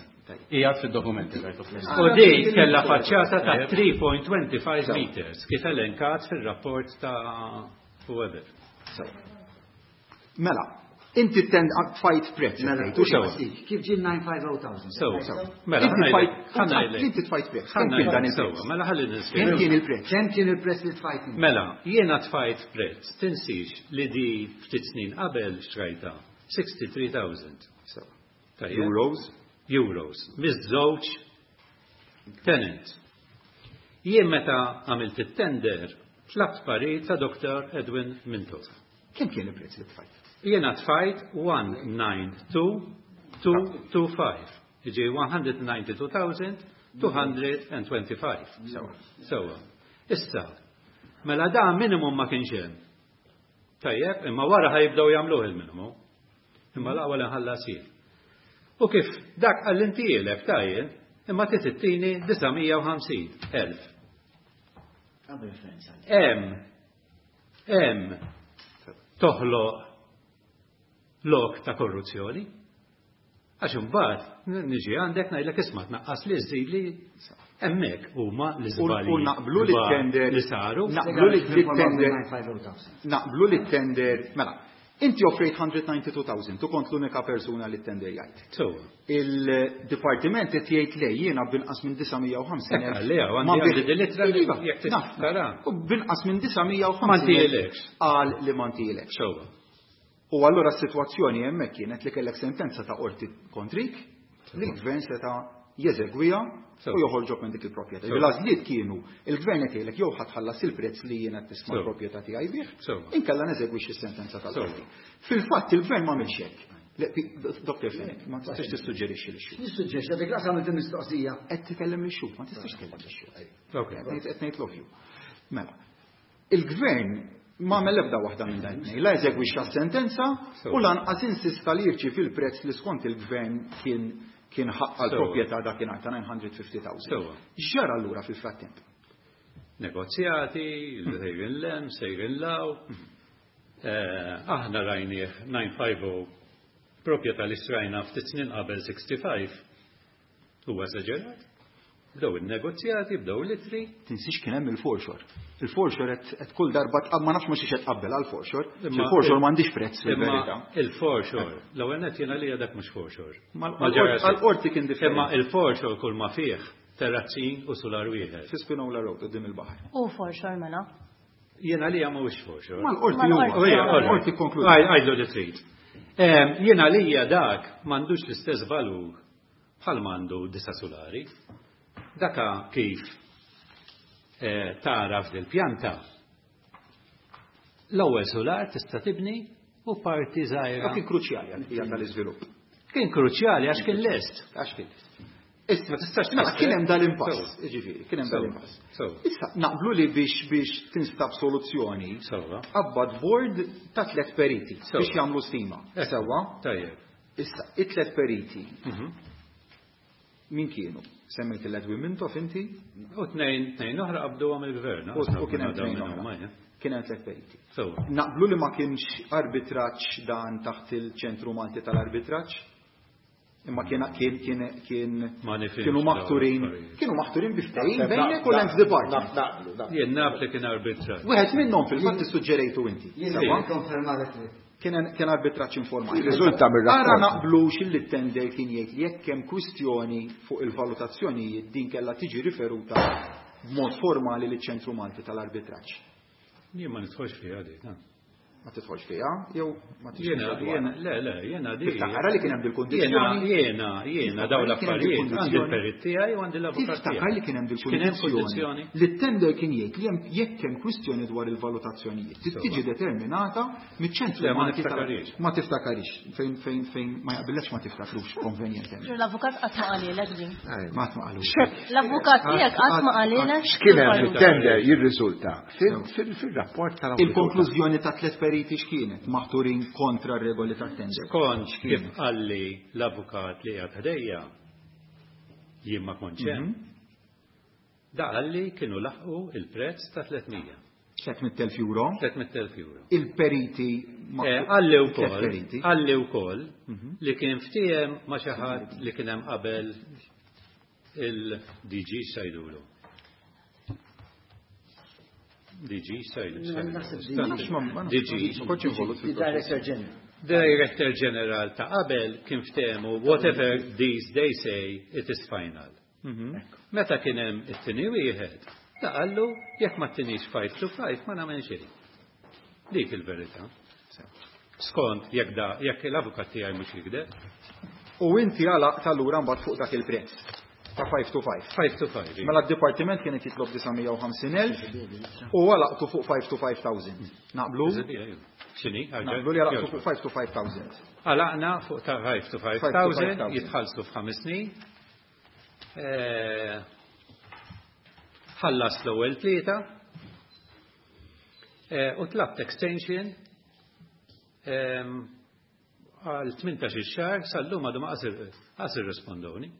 Qiegħed fid-dokument il-right of first U di kella faċċata ta' three point two five meters kif elenkat fil-rapport ta' whoever. Mela, inti tend tfajt prezz. Mela, Sewa. Kif ġie nine five oh thousand? Sewa. Sewa. Mela, Inti ħanajlek, tfajt- ħanajlek. Inti tfajt prezz. Kemm kien dan Sewa, il-prezz? mela ħalli Kemm nispjega. kien il-prezz? Kemm kien il-prezz li tfajt inti? Mela, jiena tfajt prezz, tinsix li di ftit snin qabel xtrajta sixty-three thousand. Sewa. Tajjeb. Euros? Euros. Miż-żewġ tenant. Jien meta għamilt it-tender, tlabt parir ta' Doktor Edwin Mintoff. Kemm kien il-prezz li tfajt? Jiena tfajt one nine two two two five. Jiġi one hundred ninety-two thousand two hundred and twenty-five. Sewa. Sewa. Issa, mela da minimum ma kienx hemm. Tajjeb, imma wara ħajibdew jagħmluh il-minimum. Imma l-ewwel inħallas jien. U kif dak għall-intielek tajjeb, imma titittini disa' mija u ħamsin elf. Hemm, hemm toħloq lok ta' korruzzjoni. Għax imbagħad niġi għandek ngħidlek isma' tnaqqas li żżid li hemmhekk huma l-iżbalji U naqblu li kbar tender li saru. Naqblu li tender naqblu li tender mela, inti offrejt hundred ninety-two thousand, tu kont l-unika persuna li tender jgħid. Sewa. Il-dipartiment qed jgħid le jiena binqas minn disa' mija u ħamsin Ekk, elf. għalli, għandi Ma għandi bih- din l-ittra li Iva, jekk naf. tara. U binqas minn disa' mija u Ma ħamsin elf ntielekx. qal li ma ntielekx. Sewa. U allura s-sitwazzjoni hemmhekk kienet li kellek sentenza ta' qorti kontrik li l-gvern seta' jeżegwiha u Sewa. joħorġok minn dik il-proprjetà. Sewa. L-għażliet kienu il-gvern qed jgħidlek jew ħadd ħallas il-prezz li jiena qed tisma' Sewa. l-proprjetà tiegħi bih, Sewa. inkella neżegwix is-sentenza tal-qorti. Sewa. Fil-fatt il-gvern ma għamilx hekk. Le, pi-, Doktor Fenech, ma tistax tissuġġerixxi lix-xhud. Nissuġġerixxi dik l-qasam għamilt il-mistoqsija. Qed tkellem lix-xhud, ma tistax tkellem lix-xhud. Ok. Qed ngħid, qed ngħid l-ovvju. Mela, il-gvern ma għamel ebda waħda minn dan it-tnejn, la eżegwixxa s-sentenza Sewa. u lanqas insista li jirċievi il-prezz li skont il-gvern kien, kien ħaqqa Sewa. l-proprjetà dakinhar ta' nine hundred fifty thousand. Sewa. X'ġara allura fil-frattemp? Negozjati, sejrin lem, sejrin law. Eh, aħna rajnieh nine five oh proprjetà li xtrajna ftit snin qabel sixty-five. Huwa esaġerat. Bdew in-negozjati, bdew l-itri. Tinsiex kien hemm il-foreshore. Il-foreshore qed, qed kull darba tqab-, ma nafx ma xiex qed tqabbel għall-foreshore. Imma Il-foreshore m'għandix prezz Imma fil-verità. il-foreshore, l-ewwel nett jiena li dak mhux foreshore. Ma Ma ġara xejn. għall-qorti kien differenti. Imma il-foreshore kull ma fih terrazzin u solar wieħed. Fi Spinola Road quddiem il-baħar. U foreshore mela. Jiena li mhuwiex foreshore. Ma l-qorti Ma l-qorti. huwa. U hija, all right. L-qorti konkludiet. Għaj, għajdu li trid. Ehm, jiena li dak m'għandux l-istess valur bħal m'għandu disa solari. Daka kif, eh, tara f'dil-pjanta. L-ewwel solar tista' tibni u parti żgħira. Dak kien kruċjali għal tal-iżvilupp. Kien kruċjali għax kien lest. Għax kien lest. Issa, Ma tistax mela, tfisser. kien hemm dal-impass, Sewa. jiġifieri, kien hemm Sewa. dal-impass. Sewa. Issa naqblu li biex, biex tinstab soluzzjoni, Sewa. qabbad board ta' tliet periti Sewa. biex jagħmlu stima. Eh. Sewa. Tajjeb. Issa, it-tliet periti Mhm. min kienu? Semmejt il-Edwin Mintoff inti? U tnejn, tnejn oħra qabdu għam il-gvern. U u kien hemm tnejn oħra. Kien hemm tliet periti. Sewa. Naqblu li ma kienx arbitraġġ dan taħt il-Ċentru Malti tal-Arbitraġġ? Imma kien, kien, kien, kien, Ma nifhimx kienu dawn maħturin, l-affarijiet. kienu maħturin bi ftehim Naħseb bejnek u naq- l-Lands Department. naqblu, naqblu. Jien naf li kien arbitraġġ. Wieħed minnhom fil-fatt issuġġerejtu inti. Jien Sewa? nikkonferma dak li. Kien kien arbitraġġ informali. Riżulta mir-rapport. Ara naqblux illi t-tender kien jgħid li jekk hemm kwistjoni fuq il-valutazzjonijiet din kellha tiġi riferuta b'mod formali liċ-Ċentru Malti tal-Arbitraġġ. Jien ma nidħolx fiha dik, ha. Ma tidħolx fiha jew ma Jiena, jiena, le, le, jiena di. Tiftakar li kien hemm dil-kundizzjoni. Jiena, jiena, daw l-affarijiet, għandi l-perit tiegħi u għandi l-avukat tiegħi. Tiftakar li kien hemm dil-kundizzjoni. Li t-tender kien jgħid li hemm jekk hemm kwistjoni dwar il-valutazzjonijiet tiġi determinata miċ-ċentru. Ma tiftakarix. Ma tiftakarix. Fejn fejn fejn ma jaqbillekx ma tiftakrux konvenjentement. L-avukat qatt ma qalilek din. Ma qatt ma qalux. L-avukat tiegħek qatt ma qalilek. X'kien hemm fit-tender jirriżulta fil-rapport tal Il-konklużjoni ta' tliet periti x'kienet maħturin kontra r-regoli tat-tender. Skont kif qalli l-avukat li qiegħed ħdejja, jien ma kontx hemm. Da qalli kienu laħqu il-prezz ta' tliet mija. tliet mitt elf euro. tliet mitt elf euro. Il-periti Qalli wkoll, qalli wkoll li kien ftiehem ma' xi ħadd li kien hemm qabel il-D G sajdulu. D G sajdu. D G. Director General. Director General ta' qabel kien ftehmu whatever these they say it is final. Meta kien hemm it-tieni wieħed, ta' qallu jekk ma tinix five to five ma nagħmel xejn. Dik il-verità. Skont jekk da jekk l-avukat tiegħi mhux jikdeb. U inti għalaqt allura mbagħad fuq dak il-prezz ta' five to five. five to five. Mela d-dipartiment kien qed jitlob disa' mija u ħamsin elf u għalaqtu fuq five to five thousand. Naqblu? X'inhi? Naqblu li għalaqtu fuq five to five thousand. Għalaqna fuq ta' five to five thousand jitħallsu f'ħames snin. Ħallas l-ewwel tlieta u tlabt extension għal tmintax-il xahar sal-lum għadu ma qas irrispondoni.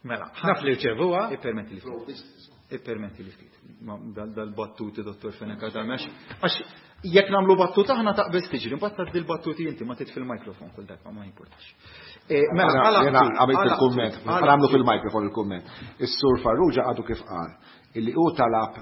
Mela, naf li rċevuha. Ippermetti li ftit. Ippermetti li ftit. Dal-battuti, dottor Fenech Adami, għax jekk nagħmlu battuta aħna taqbeż tiġri, imbagħad tgħaddi l-battuti inti ma titfi l-mikrofon kull darba, ma jimpurtax. Mela, jiena għamilt il-kumment, nagħmlu fil-mikrofon il-kumment. Is-Sur Farrugia għadu kif qal illi hu talab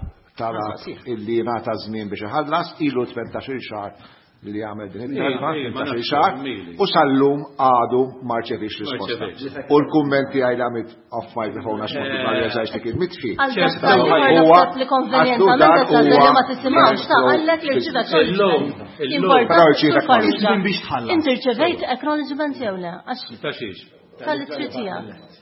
talab illi ngħata żmien biex iħallas ilu tmintax-il xahar li għamel din it-talba, tmintax-il xahar, u sal-lum għadu ma rċevix risposta. U l-kumment tiegħi li għamilt off microphone għax ma realizzajx li kien mitfi. Huwa li konvenjentament qed ma tisimgħux ta' qallek li rċiva acknowledgement. Inti rċevejt acknowledgement jew le? Għax tal-ittri tiegħek.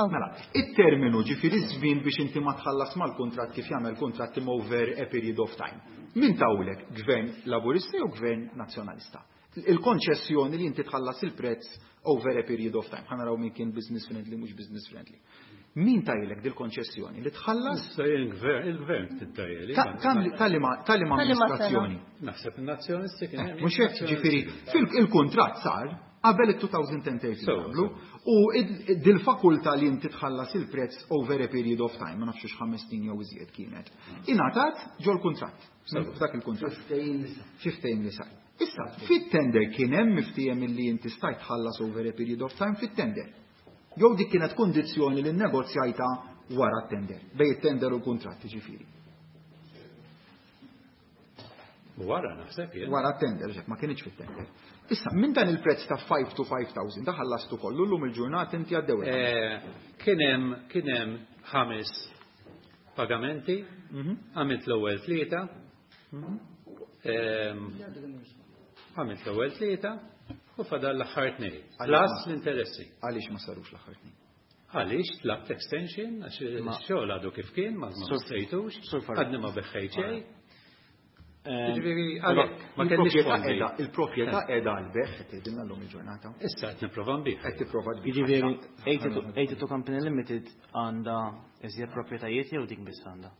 Mela, it-terminu ġifieri żmien biex inti ma tħallas mal-kuntratt kif jagħmel kuntratt over a period of time. Min tawlek, gvern laburista jew gvern nazzjonalista? Il-konċessjoni li inti tħallas il-prezz over a period of time. Ħa naraw min kien business friendly mhux business friendly. Min tajlek dil-konċessjoni li tħallas? Il-gvern tittajeli. Tal-liema amministrazzjoni? Naħseb in-nazzjonisti kien hemm. Mhux hekk, ġifieri, il-kuntratt sar qabel it-two thousand and thirteen qablu, u dil-fakultà li inti tħallas il-prezz over a period of time, ma nafx ħames snin jew iżjed kienet, ingħatat ġol-kuntratt. F'dak il-kuntratt. Fiftejn li sar. Issa, fit-tender kien hemm miftiehem illi inti stajt tħallas over a period of time fit-tender. Jew dik kienet kundizzjoni li nnegozjajta wara t-tender, bejn it-tender u l-kuntratt, ġifieri. Wara naħseb jien. Wara t-tender, ġek, ma kienx fit-tender. Issa, minn dan il-prezz ta' five to five thousand, da ħallastu kollu llum il-ġurnata inti għaddew. Kien hemm, kien hemm ħames pagamenti, għamilt l-ewwel tlieta, għamilt l-ewwel tlieta u fadal l-aħħar tnejn. Plus l-interessi. Għaliex ma sarux l-aħħar tnejn? Għaliex tlabt extension, għax ix-xogħol għadu kif kien, ma sejtux, għadni ma beħħejt xejn. Ġifieri, għalhekk, ma kellix fondi. Il-proprjetà qiegħda għall-beħ, qed tgħidilna llum il-ġurnata. Issa qed nipprova nbigħ. Qed tipprova tbigħ. Jiġifieri, eighty-two Company Limited għandha iżjed proprjetajiet jew dik biss għandha?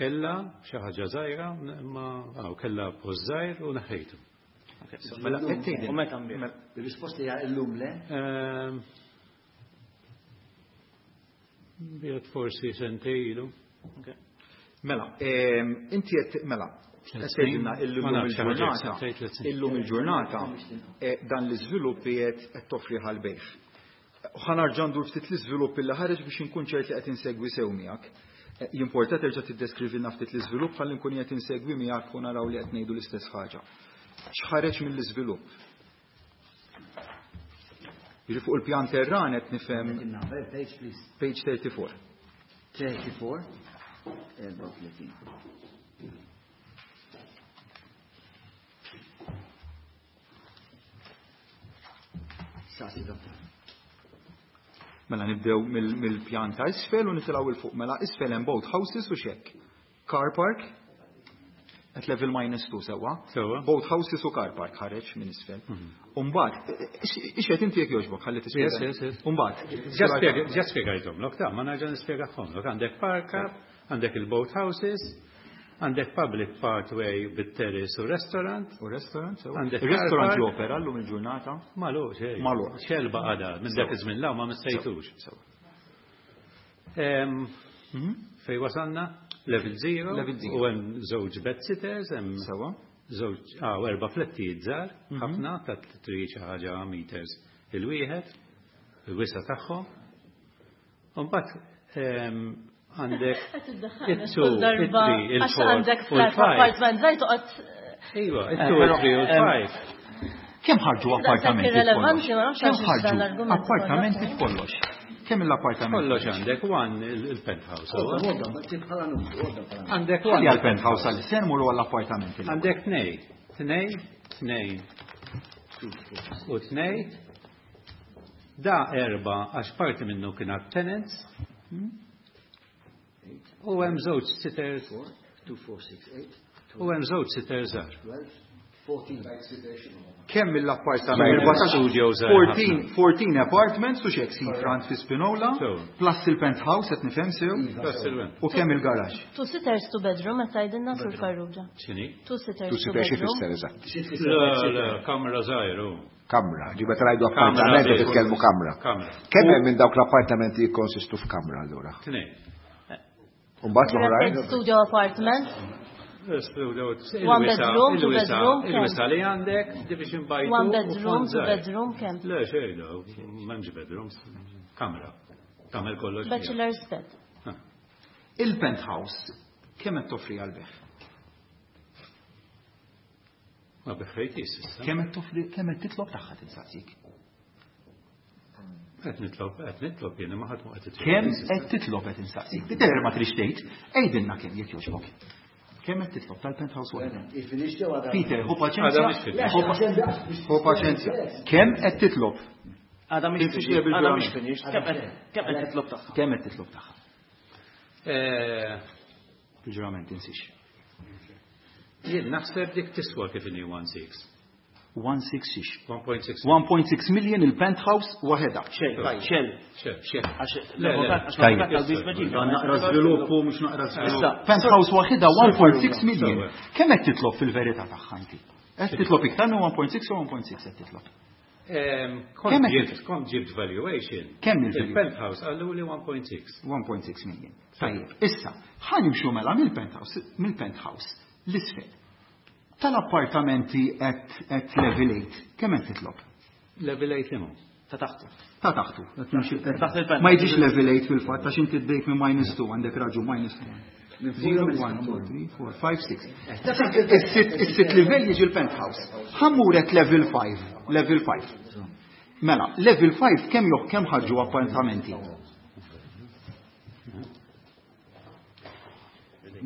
Kella xi ħaġa żgħira, imma hawn kella post żgħir u neħħejtu. Mela, qed tgħidilna. U meta nbigħ? Ir-risposta hija llum le? Ehm, biegħet forsi sentejn ilu. Mela, ehm, inti qed mela, tgħidilna illum il-ġurnata, illum il-ġurnata, eh, dan l-iżvilupp qiegħed qed toffri ħal-bejħ. Ħa nerġa' ndur ftit l-iżvilupp illi ħareġ biex inkun ċert li qed insegwi sew miegħek. Eh, jimporta terġa' tiddeskrivilna ftit l-iżvilupp ħalli nkun qed insegwi miegħek u naraw li qed ngħidu l-istess ħaġa. X'ħareġ mill-iżvilupp? Jiġi fuq il-pjan terran qed nifhem Page, please. Page thirty-four. Thirty-four. Erbgħa u tletin. Saqsi, dottor. Mela nibdew mill-pjan ta' isfel u nitilgħu 'il fuq. Mela isfel hemm boat houses u xek. Car park at level minus two sewwa. Sewwa. Boat houses u car park ħareġ minn isfel. Umbagħad, ixed inti jekk jogħġbok ħalli tispjega. Yes, yes, yes. Umbagħad. Ġa spjegajthomlok, ta' ma nerġa' nispjegahomlok. Għandek park up, għandek il-boat houses, għandek public pathway bit-terrace u restaurant. U restaurant, sewwa. Għandek Il-restaurant car park. jopera llum il-ġurnata. Magħluq, xejn. Magħluq. Xelba għada, minn dak iż-żmien law ma missejtux. Sewwa. Em, Fej wasalna? Level zero. Level zero. U hemm żewġ bed sitters, hemm Sewwa. żewġ, ah, u erba' flettijiet żgħar, ħafna ta' tri xi ħaġa meters il-wieħed, il-wisa tagħhom. U mbagħad em, għandek Qed iddaħħalna it-two, kull darba it-three, għax il-four għandek u flat l-five. apartment żgħir toqgħod Iva, it-two, it-three u l-five. Kemm ħarġu appartamenti irrelevanti, f'kollox? ma nafx Kemm għaliex dan ħarġu l-argument appartamenti ikollok. f'kollox? Kemm l-appartamenti? Kollox għandek one il-penthouse. Għodda, għodda, bħala numru, għodda bħala numru. Għandek Ħalli one. għal-penthouse għal se nmorru għall-appartamenti. Għandek tnej, tnej, tnej u tnej. Da erba għax parti minnu kien tenants. U hemm żewġ sitters, Two, four, six, eight, u hemm żewġ sitters żgħar. twelve, fourteen. Kemm l-appartamenti? Studio żgħar fourteen fourteen apartments u xek seafront fi Spinola, Sew. plus il-penthouse qed nifhem sew, Plus il- u kemm il-garax. Two sitters, two bedroom, qed tgħidilna Sur Farrugia. X'inhi? Two sitters, Tu two si xi bedroom. fisser eżatt. Le, le, kamra żgħir u. Kamra, ġiba trajdu Kamra, appartamenti sì. titkellmu kamra. Kamra. Kemm hemm minn dawk l-appartamenti jikkonsistu f'kamra allura? Tnej. Umbagħad l-oħrajn? Studio apartment. Studio, One bedroom, two bedroom, kemm? Il-wisa li għandek, division by two. One u bedroom, fond two żgħir. bedroom, kemm? Le, xejn, le, m'hemmx bedrooms, kamra. Tagħmel kollox. fiha. Bachelor's bed. Ah. Il-penthouse kemm qed toffri għal-beħ? Ma biħħejtis issa. Kemm qed toffri, kemm qed titlob tagħha tinsaqsik? Qed nitlob, qed nitlob jiena ma ħadd ma qed Kemm qed titlob qed insaqsik? Tidher ma trix tgħid, għidilna kemm jekk jogħġbok. Kemm qed titlob tal-penthouse waħda? Il-finish ġew għadha. Peter, hu Għadha paċenzja. mhix finish. Hu pa- Hu paċenzja. Kemm qed titlob? Għada mhix Tinsiex finish. li bil- Għada mhix finish. Kemm qed kemm qed titlob tagħha? Kemm qed titlob tagħha? Eh, Il-ġurament tinsiex. Jien naħseb dik tiswa kif inhi one six. one six six. one point six. one point six million il-penthouse waħedha. Xejn, xejn. Xejn. Xejn. Għax Le, le. l-avukat għax l-avukat tal-biex meġiba. Naqra żviluppu mhux naqra żvilupp. Issa, Penthouse waħedha one point six million. Sewa. Kemm qed titlob fil-verità tagħha inti? Qed titlob iktar minn one point six u one point six qed titlob. Ehm, Kont Kemm qed ġibt, kont ġibt valuation. Kemm il-valuation? Il-penthouse għallu li one point six. one point six million. Tajjeb, issa, ħa nimxu mela mill-penthouse, mill-penthouse l-isfel. Tal-appartamenti at, at level eight, kemm qed titlob? Level eight limu. Ta' taħtu. Ta' taħtu. Qed nimxi- Taħt il-penthouse. Ma jiġix level eight fil-fatt, għax inti ddejt minn minus two, għandek raġu minus two. zero, one, two, three, four, five, six. Is-sitt is-sitt livell jiġi l-penthouse. Ħa mmur at level five, level five. Mela, level five kemm joħ kemm ħarġu appartamenti?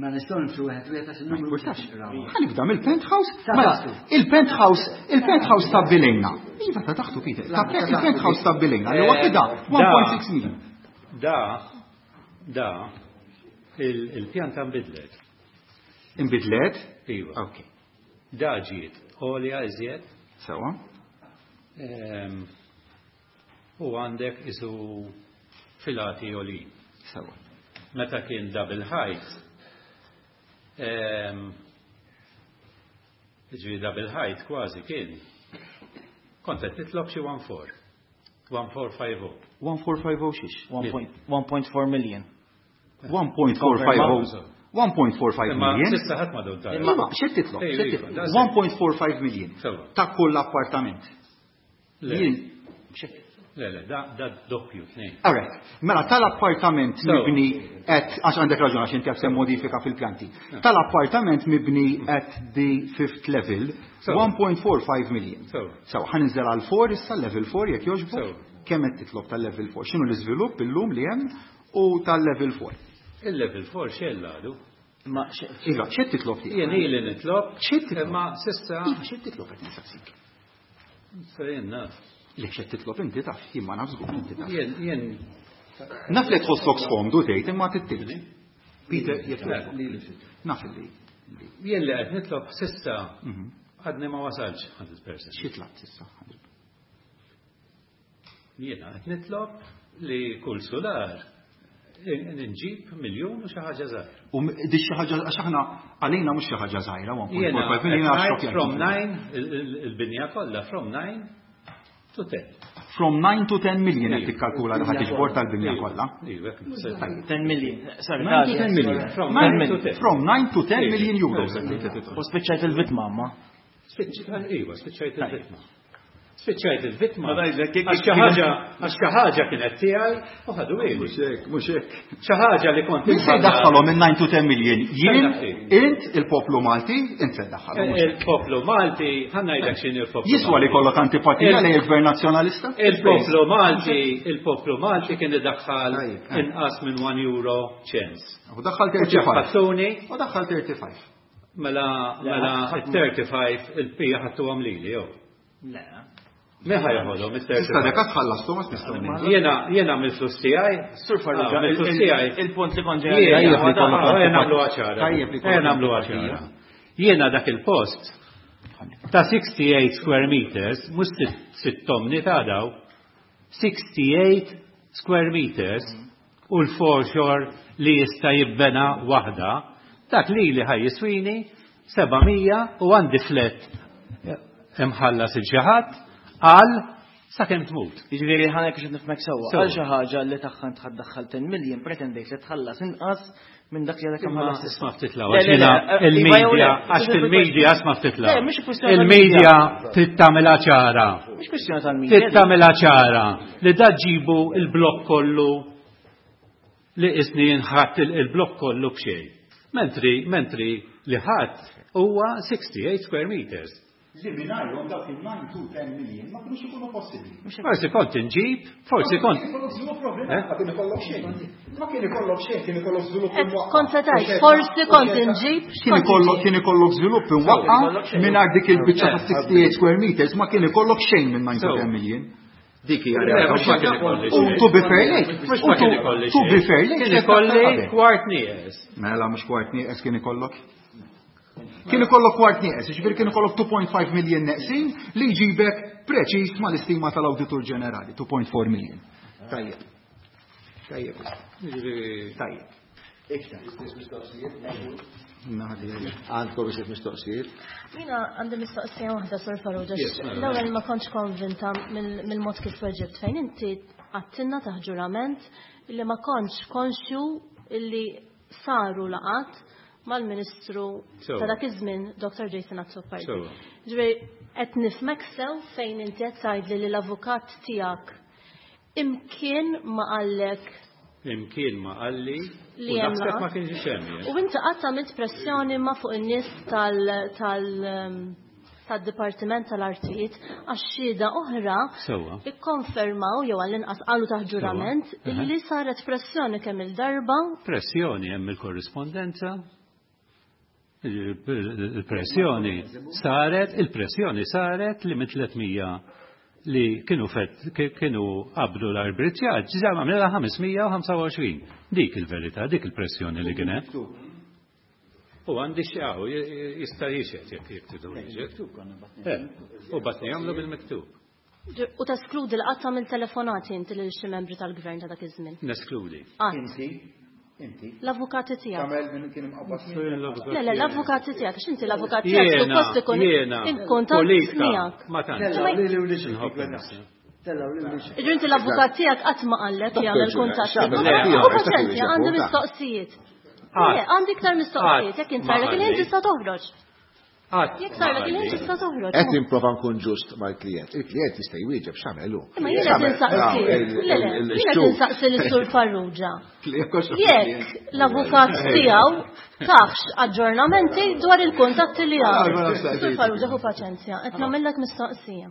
Ma nistgħu nimxu wieħed wieħed għax Ma il-numru jimpurtax. naqrawha. Ħa nibda mill-penthouse. Ta' Mela, taħtu. il-penthouse, il-penthouse stabbilejna. Iva ta' taħtu, Peter. Ta' il-penthouse stabbilejna li waħedha one point six million. Da, da, il- il-pjanta nbidlet. Inbidlet? Iva. Ok. Da ġiet, għolja iżjed. Sewa. Ehm, u għandek isu filati għolin. Sewa. Meta kien double height, ehm, ġifieri double height kważi kien, kont qed titlob xi one four. one four five oh. one four five oh xiex? one point four million. one point four five oh. one point four five Imma million. sissa ħadd ma dod dar. Imma x'qed titlob? Ejju, X'qed iva, titlob? da se. one point four five million. Sewa. Ta' kull appartament. Le. Jien, x'qed Le, le, da, da doppju, tnejn. All right. Mela, tal-appartament So. mibni at, għax għandek raġun għax inti għax modifika fil-pjanti. Tal-appartament mibni at the fifth level, So. one point four five million. So. So, ħa ninżel għal four issa, level four, jekk jogħġbok. So. Kemm qed titlob tal-level four? X'inhu l-iżvilupp illum li hemm u tal-level four? Il-level four xejn għadu. Ma xe- Iva, x'qed titlob tiegħek? Jien ili nitlob, X'qed titlob? imma sissa Iva, x'qed titlob qed nistaqsik? Sa jien naf. Li xed titlob inti taf, jien ma naf żgur inti taf. Jien jien Naf li tħossok skomdu tgħid imma tittilni. Peter, jekk naf li. Jien li qed nitlob s'issa għadni ma wasalx mija fil-mija. Xi tlabt s'issa? Jiena qed nitlob li kull sular nġib miljun u xi ħaġa żgħira. U di xi ħaġa, għax aħna għalina mhux xi ħaġa żgħira, Jiena one point four five million għax xokk. From nine, il-binja kollha from nine to ten. From nine to ten million qed tikkalkula li ħadd tiġbor tal-binja kollha. Iva, ten million. Sorry, nine to ten million. From nine nine to ten. From nine to ten million euros. U spiċċajt il-vitma, ma? Iva, spiċċajt il-vitma. Spiċċajt il-vitma. Għax xi ħaġa, għax xi ħaġa kienet tiegħi u ħadu ili. Mhux hekk, mhux hekk. Xi ħaġa li kont Min se jdaħħalhom minn nine to ten million? Jien, Stenna int, il-poplu Malti, int se jdaħħalhom. Il-poplu Malti, ħa ngħidlek x'inhi il-poplu. Jiswa li kollok antipatija lejn il-Gvern Nazzjonalista? Il-poplu Malti, il-poplu Malti kien idaħħal inqas minn one euro cents. U daħħal thirty-five. Ħattuni. U daħħal thirty-five. Mela, mela, thirty-five il-pija ħattu lili, jew. Le. Min ħa jeħodhom, mister Issa dek tħallastu ma nistgħu ngħidu. Jiena, jiena mill-flus tiegħi. Sur Farrugia, Ah, mill-flus tiegħi. il-punt li kont ġej. Jiena, Tajjeb li kollok ah, antipatija. nagħmlu ċara. Tajjeb li kollok Ejja nagħmlu antipatija. ċara. Jiena dak il-post ta' sixty-eight square meters, mhux sitt tomni ta' daw, sixty-eight square meters u l-foreshore li jista' jibbena waħda, dak li li ħaj jiswini seba' mija u għandi flat imħallas il-ġaħat għal sakemm tmut. Jiġifieri ħa ngħid biex nifhmek sewwa. Sewwa. Għal xi ħaġa li tagħha int ħaddaħħal ten million pretendejt li tħallas inqas minn dak li għadek Imma imħallas isma' ftit law, Le, għax le, le, jiena eh, il-media, iva jew le, għax fil-media isma' ftit law. Le, mhix kwistjoni Il-media tal-media. trid tagħmilha ċara. Mhix kwistjoni tal-media. Trid tagħmilha ċara li da ġibu il-blokk kollu li isni jinħatt il-blokk kollu b'xejn. Mentri, mentri li ħadd huwa sixty-eight square meters. Li mingħajrhom dawk il-nine to ten million ma kinux ikunu possibbli. Forsi kont inġib, forsi kont. Ma kien ikollok żvilupp problema, ma kien ikollok xejn. Ma kien ikollok xejn, kien ikollok żvilupp Et imwaqqa'. kont se tgħid, forsi kont inġib, Kien x'kont ikollok inġib? kien ikollok żvilupp imwaqqa' mingħajr dik il-biċċa ta' sixty-eight square meters ma kien ikollok xejn minn nine to ten million. Dik hija Le, realtà. mhux ma kien ikolli U xejn. to be fair lejk, Mhux u ma kien to- ikolli to be xejn. fair lejk, Kien xejn ikolli qabel. kwart nieqes. Mela mhux kwart nieqes kien ikollok. Kien ikollok kwart nieqes, jiġifieri kien ikollok two point five million neqsin li jġibek preċiż mal-istima tal-Awditur Ġenerali, two point four million. Tajjeb. Tajjeb. Tajjeb. Għandkom iżjed mistoqsijiet? Jiena għandi mistoqsija waħda, Sur Farrugia. Yes, mela. L-ewwel ma kontx konvinta mill-, mill-mod kif weġibt fejn inti għattinna taħt ġurament illi ma kontx konxju illi saru laqat mal-Ministru Sewwa. ta' dak iż-żmien, Doctor Jason Azzopardi. Sewwa. Ġifieri qed nifhmek sew fejn inti qed tgħidli li l-avukat tiegħek imkien ma qallek Imkien ma qalli li u hemm naħseb laqgħat. ma kienx hemm, jien. U inti qatt għamilt pressjoni ma fuq in-nies tal-, tal-, ehm, tad-Dipartiment tal-Artijiet għax xhieda oħra Sewwa. ikkonfermaw jew għall-inqas qalu taħt ġurament Sewwa. Aha. illi saret pressjoni kemm il-darba. Pressjoni hemm il-korrispondenza. Il-pressjoni saret, il-pressjoni saret li minn tliet mija li kienu fet, ki-, kienu qabdu l-arbitraġġ, ġa għamilha ħames mija u ħamsa u għoxrin. Dik il-verità, dik il-pressjoni li kien hemm. U għandi xaw, jista' jixed jekk jekk tridu jixed. Eh, u batni jagħmlu bil-miktub. U teskludi l-qatt minn telefonati inti lil xi membri tal-gvern ta' dak iż-żmien? Neskludi. Qatt. Inti, inti. L-avukati tiegħek. Tagħmel minn kien imqabbad minn. Le, le, l-avukati tiegħek, għax inti l-avukat tiegħek Jiena, suppost ikun jiena, in kuntatt politika, miegħek. ma tantx. Tella' lili u lixi. Nħobb nifsi. Tella' lili u lixi. Iġri inti l-avukat tiegħek qatt ma qallek Dottor jagħmel Ġuna, kuntatt x'għamel miegħek. tiegħek, U x'għamel paċenzja, tiegħek, għandi x'għamel mistoqsijiet. Qatt. Le, għandi iktar mistoqsijiet, Qatt jekk int ma sarlek il-ħin qalli. tista' toħroġ. Qatt Jekk ma sarlek il-ħin qalli. tista' toħroġ. Qed nipprova nkun ġust mal-klient. Il-klient jista' jwieġeb x'għamel hu. Imma jiena qed insaqsi. Ah, il- Le, le, il- il- jiena qed il-xhur. insaqsi lis-Sur Farrugia. Jekk l-avukat tiegħu taħx aġġornamenti dwar il-kuntatti li għamel. Sur Farrugia, ħu paċenzja, qed nagħmellek mistoqsija.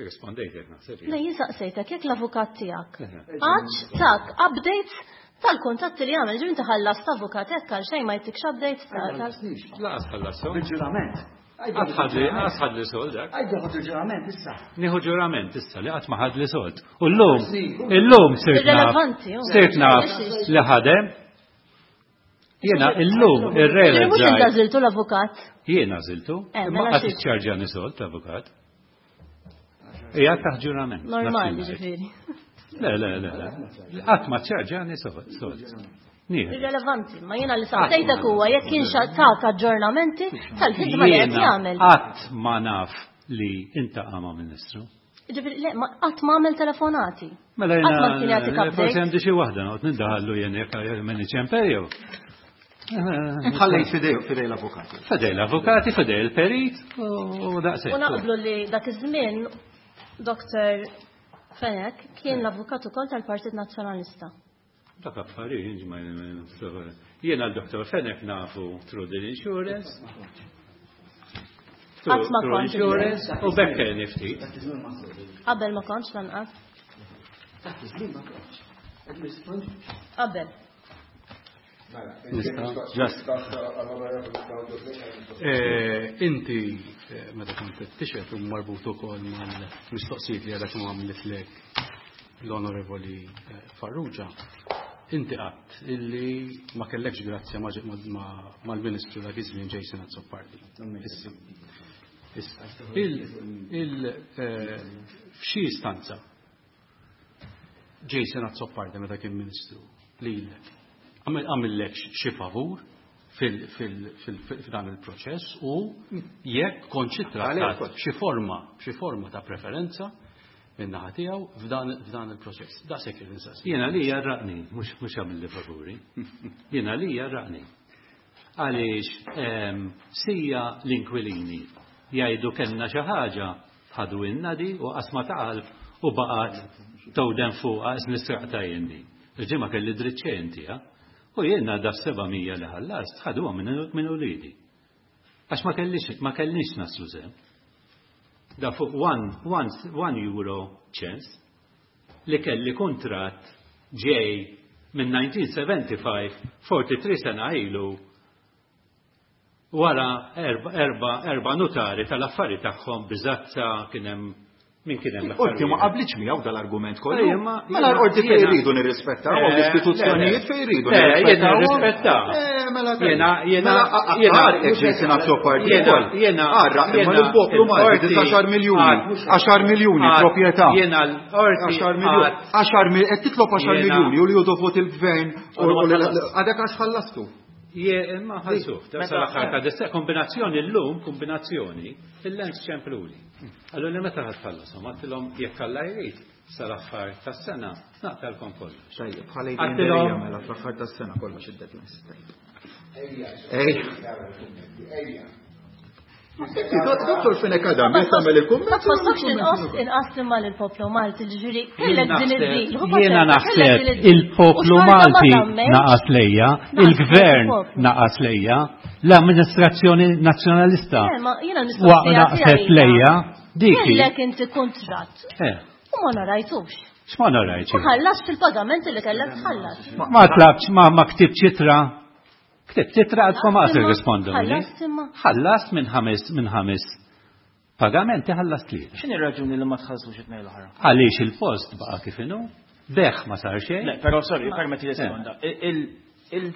Rispondejtek naħseb. Le, jien saqsejtek jekk l-avukat tiegħek għadx tak updates tal-kuntatti li għamel, ġifieri inti ħallast avukat hekk għal xejn ma jtikx updates tal- tal- Laqas ħallasthom. Bil-ġurament. Qatt ħadli qatt ħadli sold dak. Għajdu ħodu ġurament issa. Nieħu ġurament issa li qatt ma ħadli sold. U llum, illum sirt naf, Irrelevanti, hu. sirt naf li ħadem. Jiena illum Ġifieri mhux inti irrealizzajt. għażiltu l-avukat. Jiena għażiltu, Eh, imma mela qatt xi- iċċarġani sold l-avukat. Ija taħt ġurament. Normali naf xi ngħid. ġifieri. Le, le, le, le. Qatt ma ċċarġani sold. sold. Nieħu. Irrelevanti, ma jiena li saqsejtek huwa jekk kienx tak aġġornamenti tal-ħidma li qed Jiena jagħmel. qatt ma naf li intaqa' ma' ministru. Ġifieri le, ma qatt ma għamel telefonati. Mela Qatt ma kien jagħtik jena, forsi update. għandi xi waħda noqgħod nindaħallu jien jekk minn iċempel jew. Ħallejt fidej fidej l-avukati. Fidej l-avukati, fidej il-perit u daqshekk. U naqblu li dak iż-żmien Dr. Fenech kien l-avukat ukoll tal-Partit Nazzjonalista. Dak affarijiet ma jiena l-Dr. Fenech nafu through the insurance. Qatt ma Through kont insurance u bekkelni ftit. Qabel ma kontx lanqas. Qabel. Just. Eh, Inti eh, meta kont qed tixhed u marbut ukoll mal-mistoqsijiet li għadha kemm għamlitlek l-Onorevoli eh, Farrugia, inti qatt illi ma kellekx grazzja ma' ma- mal-Ministru dak iż-żmien Jason Azzopardi. Issa. Issa. Il, il, eh, f'xi istanza Jason Azzopardi meta kien Ministru lilek għamil- għamillek xi favur fil- fil- fil- f'dan il-proċess u jekk kontx ittrattat b'xi forma b'xi forma ta' preferenza min-naħa tiegħu f'dan f'dan il-proċess. Daqshekk irid insaqsi. Jiena li jarraqni, mhux mhux għamilli favuri. Jiena li jarraqni. Għaliex ehm, sija l-inkwilini jgħidu kellna xi ħaġa ħadu in-nadi u qasma ta' qalb u baqgħet towden fuqha qis nisraqta jien di. Il-ġimgħa kelli dritt xejn tiegħha. U jiena da seba' mija li ħallast ħaduha minn minn uliedi. Għax ma kellix ma kellix naslu sehem. Da fuq one, one, one euro ċens li kelli kuntratt ġej minn nineteen seventy-five, forty-three sena ilu, wara erba, erba, erba notari tal-affari tagħhom biżazza kien hemm min kien hemm Qorti ma l-affarijiet. qablitx miegħu dal-argument kollu. Ejja, ma- Mela l-qorti fejn jiena- jridu nirrispettaw, Eh, l-istituzzjonijiet le, fejn jridu le, jiena nirrispettawhom. nirrispettaw. Eh, mela tajjeb. Jiena, jiena, Mela, a- a- jiena- għarqek Jason Azzopardi jiena, wkoll. jiena, Għarraq, imma jiena, l-poplu Malti, il-qorti disgħaxar miljuni, għad- għaxar miljuni għad- proprjetà. Jiena l-qorti Għaxar miljuni, għad- għaxar mil-, qed titlob għaxar Jiena- miljuni u li hu dovut il-gvern u Għadu ma u li- ħallast. għadek għax ħallastu. Je, ma ħallsuh, ta' Meta- sal-aħħar ta' disa kombinazzjoni llum, kombinazzjoni, il-lens ċempluli. Allura li meta ħatħallasom, għattilhom jekk Alla jrid sal-aħħar tas-sena naqtalkom kollox. Tajjeb, bħala Għattilhom- jgħid mela fl-aħħar tas-sena kollox id-deadlines. Ej. Dottor Fenech Adam, jekk tagħmel il-kumment. Ma tħossokx inqas inqas imma lill-poplu Malti ġifieri kellek din id-deal. hu Jiena paċenzja, naħseb kellek din id-deal. il-poplu U xorta ma Malti żammejtx. naqas lejja, Naqas il-gvern il-poplu. naqas lejja, l-amministrazzjoni nazzjonalista Eh, ma jiena wa l-mistoqsija naqset tiegħi lejja, dik hi. Kellek inti kuntratt Eh, u ma narajtux. x'ma narajtx? Ma ħallas fil-pagamenti li kellek tħallas. Ma tlabx, ma ma ktibx itra. Ktibt itra għadkom għas irrispondu. Ħallast imma. Ħallast minn ħames minn ħames pagamenti ħallast tlieta. X'inhi r-raġuni li ma tħallsux it-tnejn l-oħra? Għaliex il-post baqa' kif inhu, beħ ma sar xejn. Le, però sorry, permetti li sekonda. Il- il- il-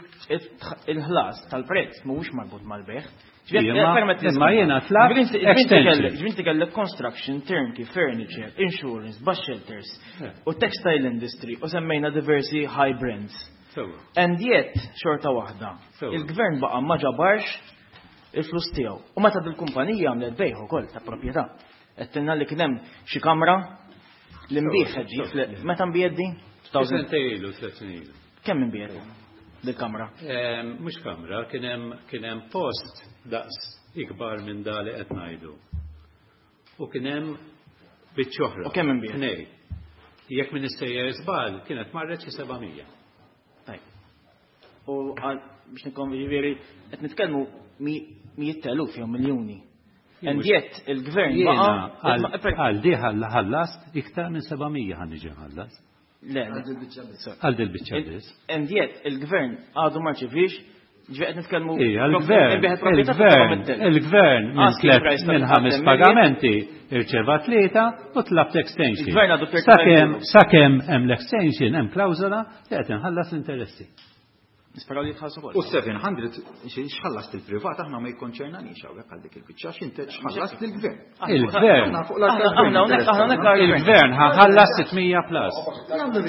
Il-ħlas tal-prezz mhuwiex marbut mal-beħ. Imma- imma jiena tlabt extension. Ġvinti kellek construction, turnkey, furniture, insurance, bus shelters Eh. u textile industry u semmejna diversi high brands. Sewwa. And yet, xorta waħda, Sewwa. il-gvern baqa' ma ġabarx il-flus tiegħu. U meta dil-kumpanija għamlet bejħ ukoll ta' proprjetà. Qed tilna li kien hemm xi kamra li nbieħ ġi fl- meta nbiegħet din? Sentejn ilu, tliet snin ilu. Kemm inbiegħet dil-kamra? Ehm, Mhux kamra, kien hemm kien hemm post daqs ikbar minn da li qed ngħidu. U kien hemm biċċa oħra. U kemm inbiegħet? Tnejn. Jekk min issejjer żball, kienet marret xi seba' mija. Tajb. U għal biex nikon ġifieri qed nitkellmu mi- mijiet ta' eluf jew miljuni. And yet il-gvern Jiena baqa' għal għal di ħallast iktar minn seba' mija ħa niġi nħallas. Le, le. Għal dil biċċa biss. And yet il-gvern għadu ma rċevix Ġifieri qed nitkellmu il-gvern, il-gvern, il-gvern minn minn ħames pagamenti irċeva tlieta u tlabt extension. Sakemm sakemm hemm l-extension hemm klawżola li qed inħallas l-interessi. Nisperaw li jitħallsu U seven hundred x'ħallast il-privat aħna ma jikkonċernanix hawnhekk għal dik il-biċċa, x'inti x'ħallast lill-gvern. Il-gvern. Il-gvern ħallas sitt mija plus.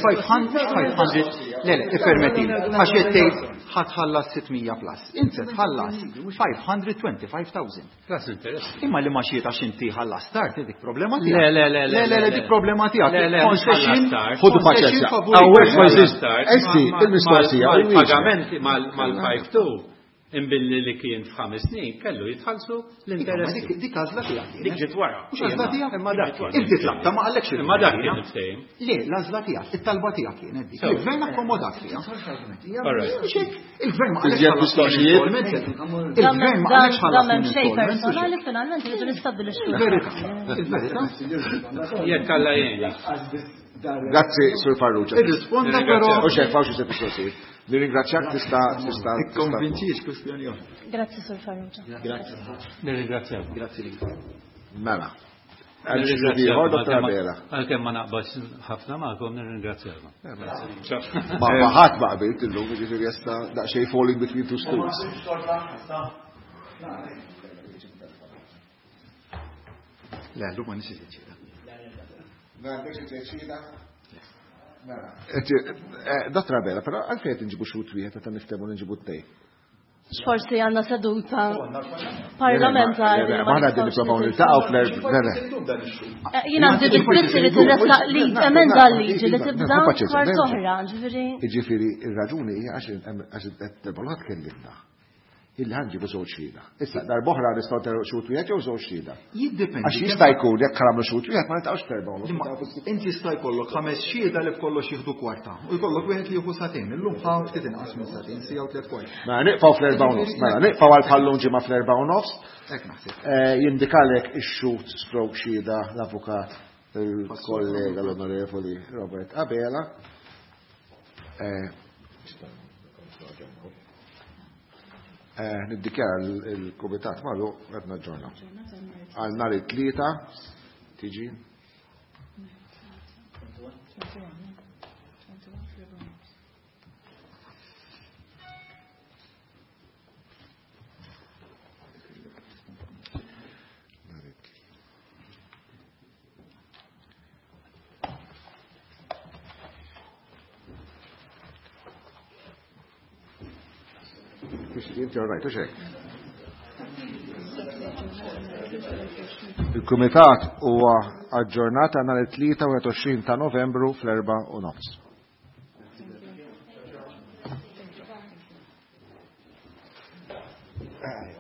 five hundred, five hundred, le, le, ippermetti, għax qed tgħid ħa tħallas sitt mija plus. Inti tħallas five hundred twenty-five thousand. Plus interess. Imma li ma xiet għax inti ħallas tard, dik problema tiegħek. Le, le, le, le, le, le, dik problema tiegħek. Le, le, Concession, Ħudu paċenzja. Hawnhekk ma jżist. Esti, il-mistoqsija. Mal-pagamenti mal-five two imbilli li kien f'ħames snin kellu jitħallsu l-interessi. Dik għażla tiegħek. Dik ġiet wara. Mhux għażla tiegħek. Imma dak. Inti tlabta, ma qalekx. Imma dak kien il-ftehim. Le, l-għażla tiegħek, it-talba tiegħek kienet dik. Il-gvern akkomodat fiha. Il-gvern ma qalekx. Il-gvern ma qalekx ħallas. Dan xejn personali, finalment rridu nistabbilixxu. Il-verità. Il-verità. Jekk Alla jgħinni. Grazzi, Sur Farrugia. Irrisponda però. U xek, fawx se mistoqsijiet. Nirringrazzjak, tista' tista' Ikkonvinċix kwestjoni oħra. Grazzi, Sur Farrugia. Grazzi. Nirringrazzjak. Grazzi li. Mela. Għal Dottor Abela. Għalkemm ma naqbax ħafna magħkom, nirringrazzjakom. Ma ma ħadd ma qbilt illum, jiġifieri jesta daqsxejn falling between two stools. Le, llum ma nixi ċida. Dottor Abela, però għalfejn qed inġibu xhud wieħed meta niftehmu li nġibu tnejn? Forsi għandna seduta parlamentari. Ma aħna qegħdin nippruvaw niltaqgħu fl Eh, Jien għandi biss li tirressaq li emenda l-liġi li tibda kwart oħra, ġifieri. Jiġifieri ir-raġuni hija għax għax qed tkellimna illi ħa nġibu żewġ xhieda. Issa darb'oħra nistgħu teru xhud wieħed jew żewġ xhieda. Jiddependi. Għax jista' jkun jekk nagħmlu xhud wieħed ma niltaqgħux f'erba' u nofs. Inti jista' jkollok ħames xhieda li b'kollox jieħdu kwarta. U jkollok wieħed li jieħu sagħtejn. Illum ħa ftit inqas minn sagħtejn, siegħa u tliet kwart. Mela nieqfaw fl-erba' u nofs. Mela nieqfaw għal bħallum ġimgħa fl-erba' u nofs. Hekk naħseb. Eh, Jindikalek ix-xhud stroke xhieda l-avukat il-kollega l-onorevoli Robert Abela. Eh, eh, Niddikjara il-kumitat magħluq, qed naġġorna. Għal nhar it-Tlieta tiġi. Inti all right, u xejn. Il-Kumitat huwa aġġornat nhar it-Tlieta u ta' Novembru fl-erba' u nofs. Ah,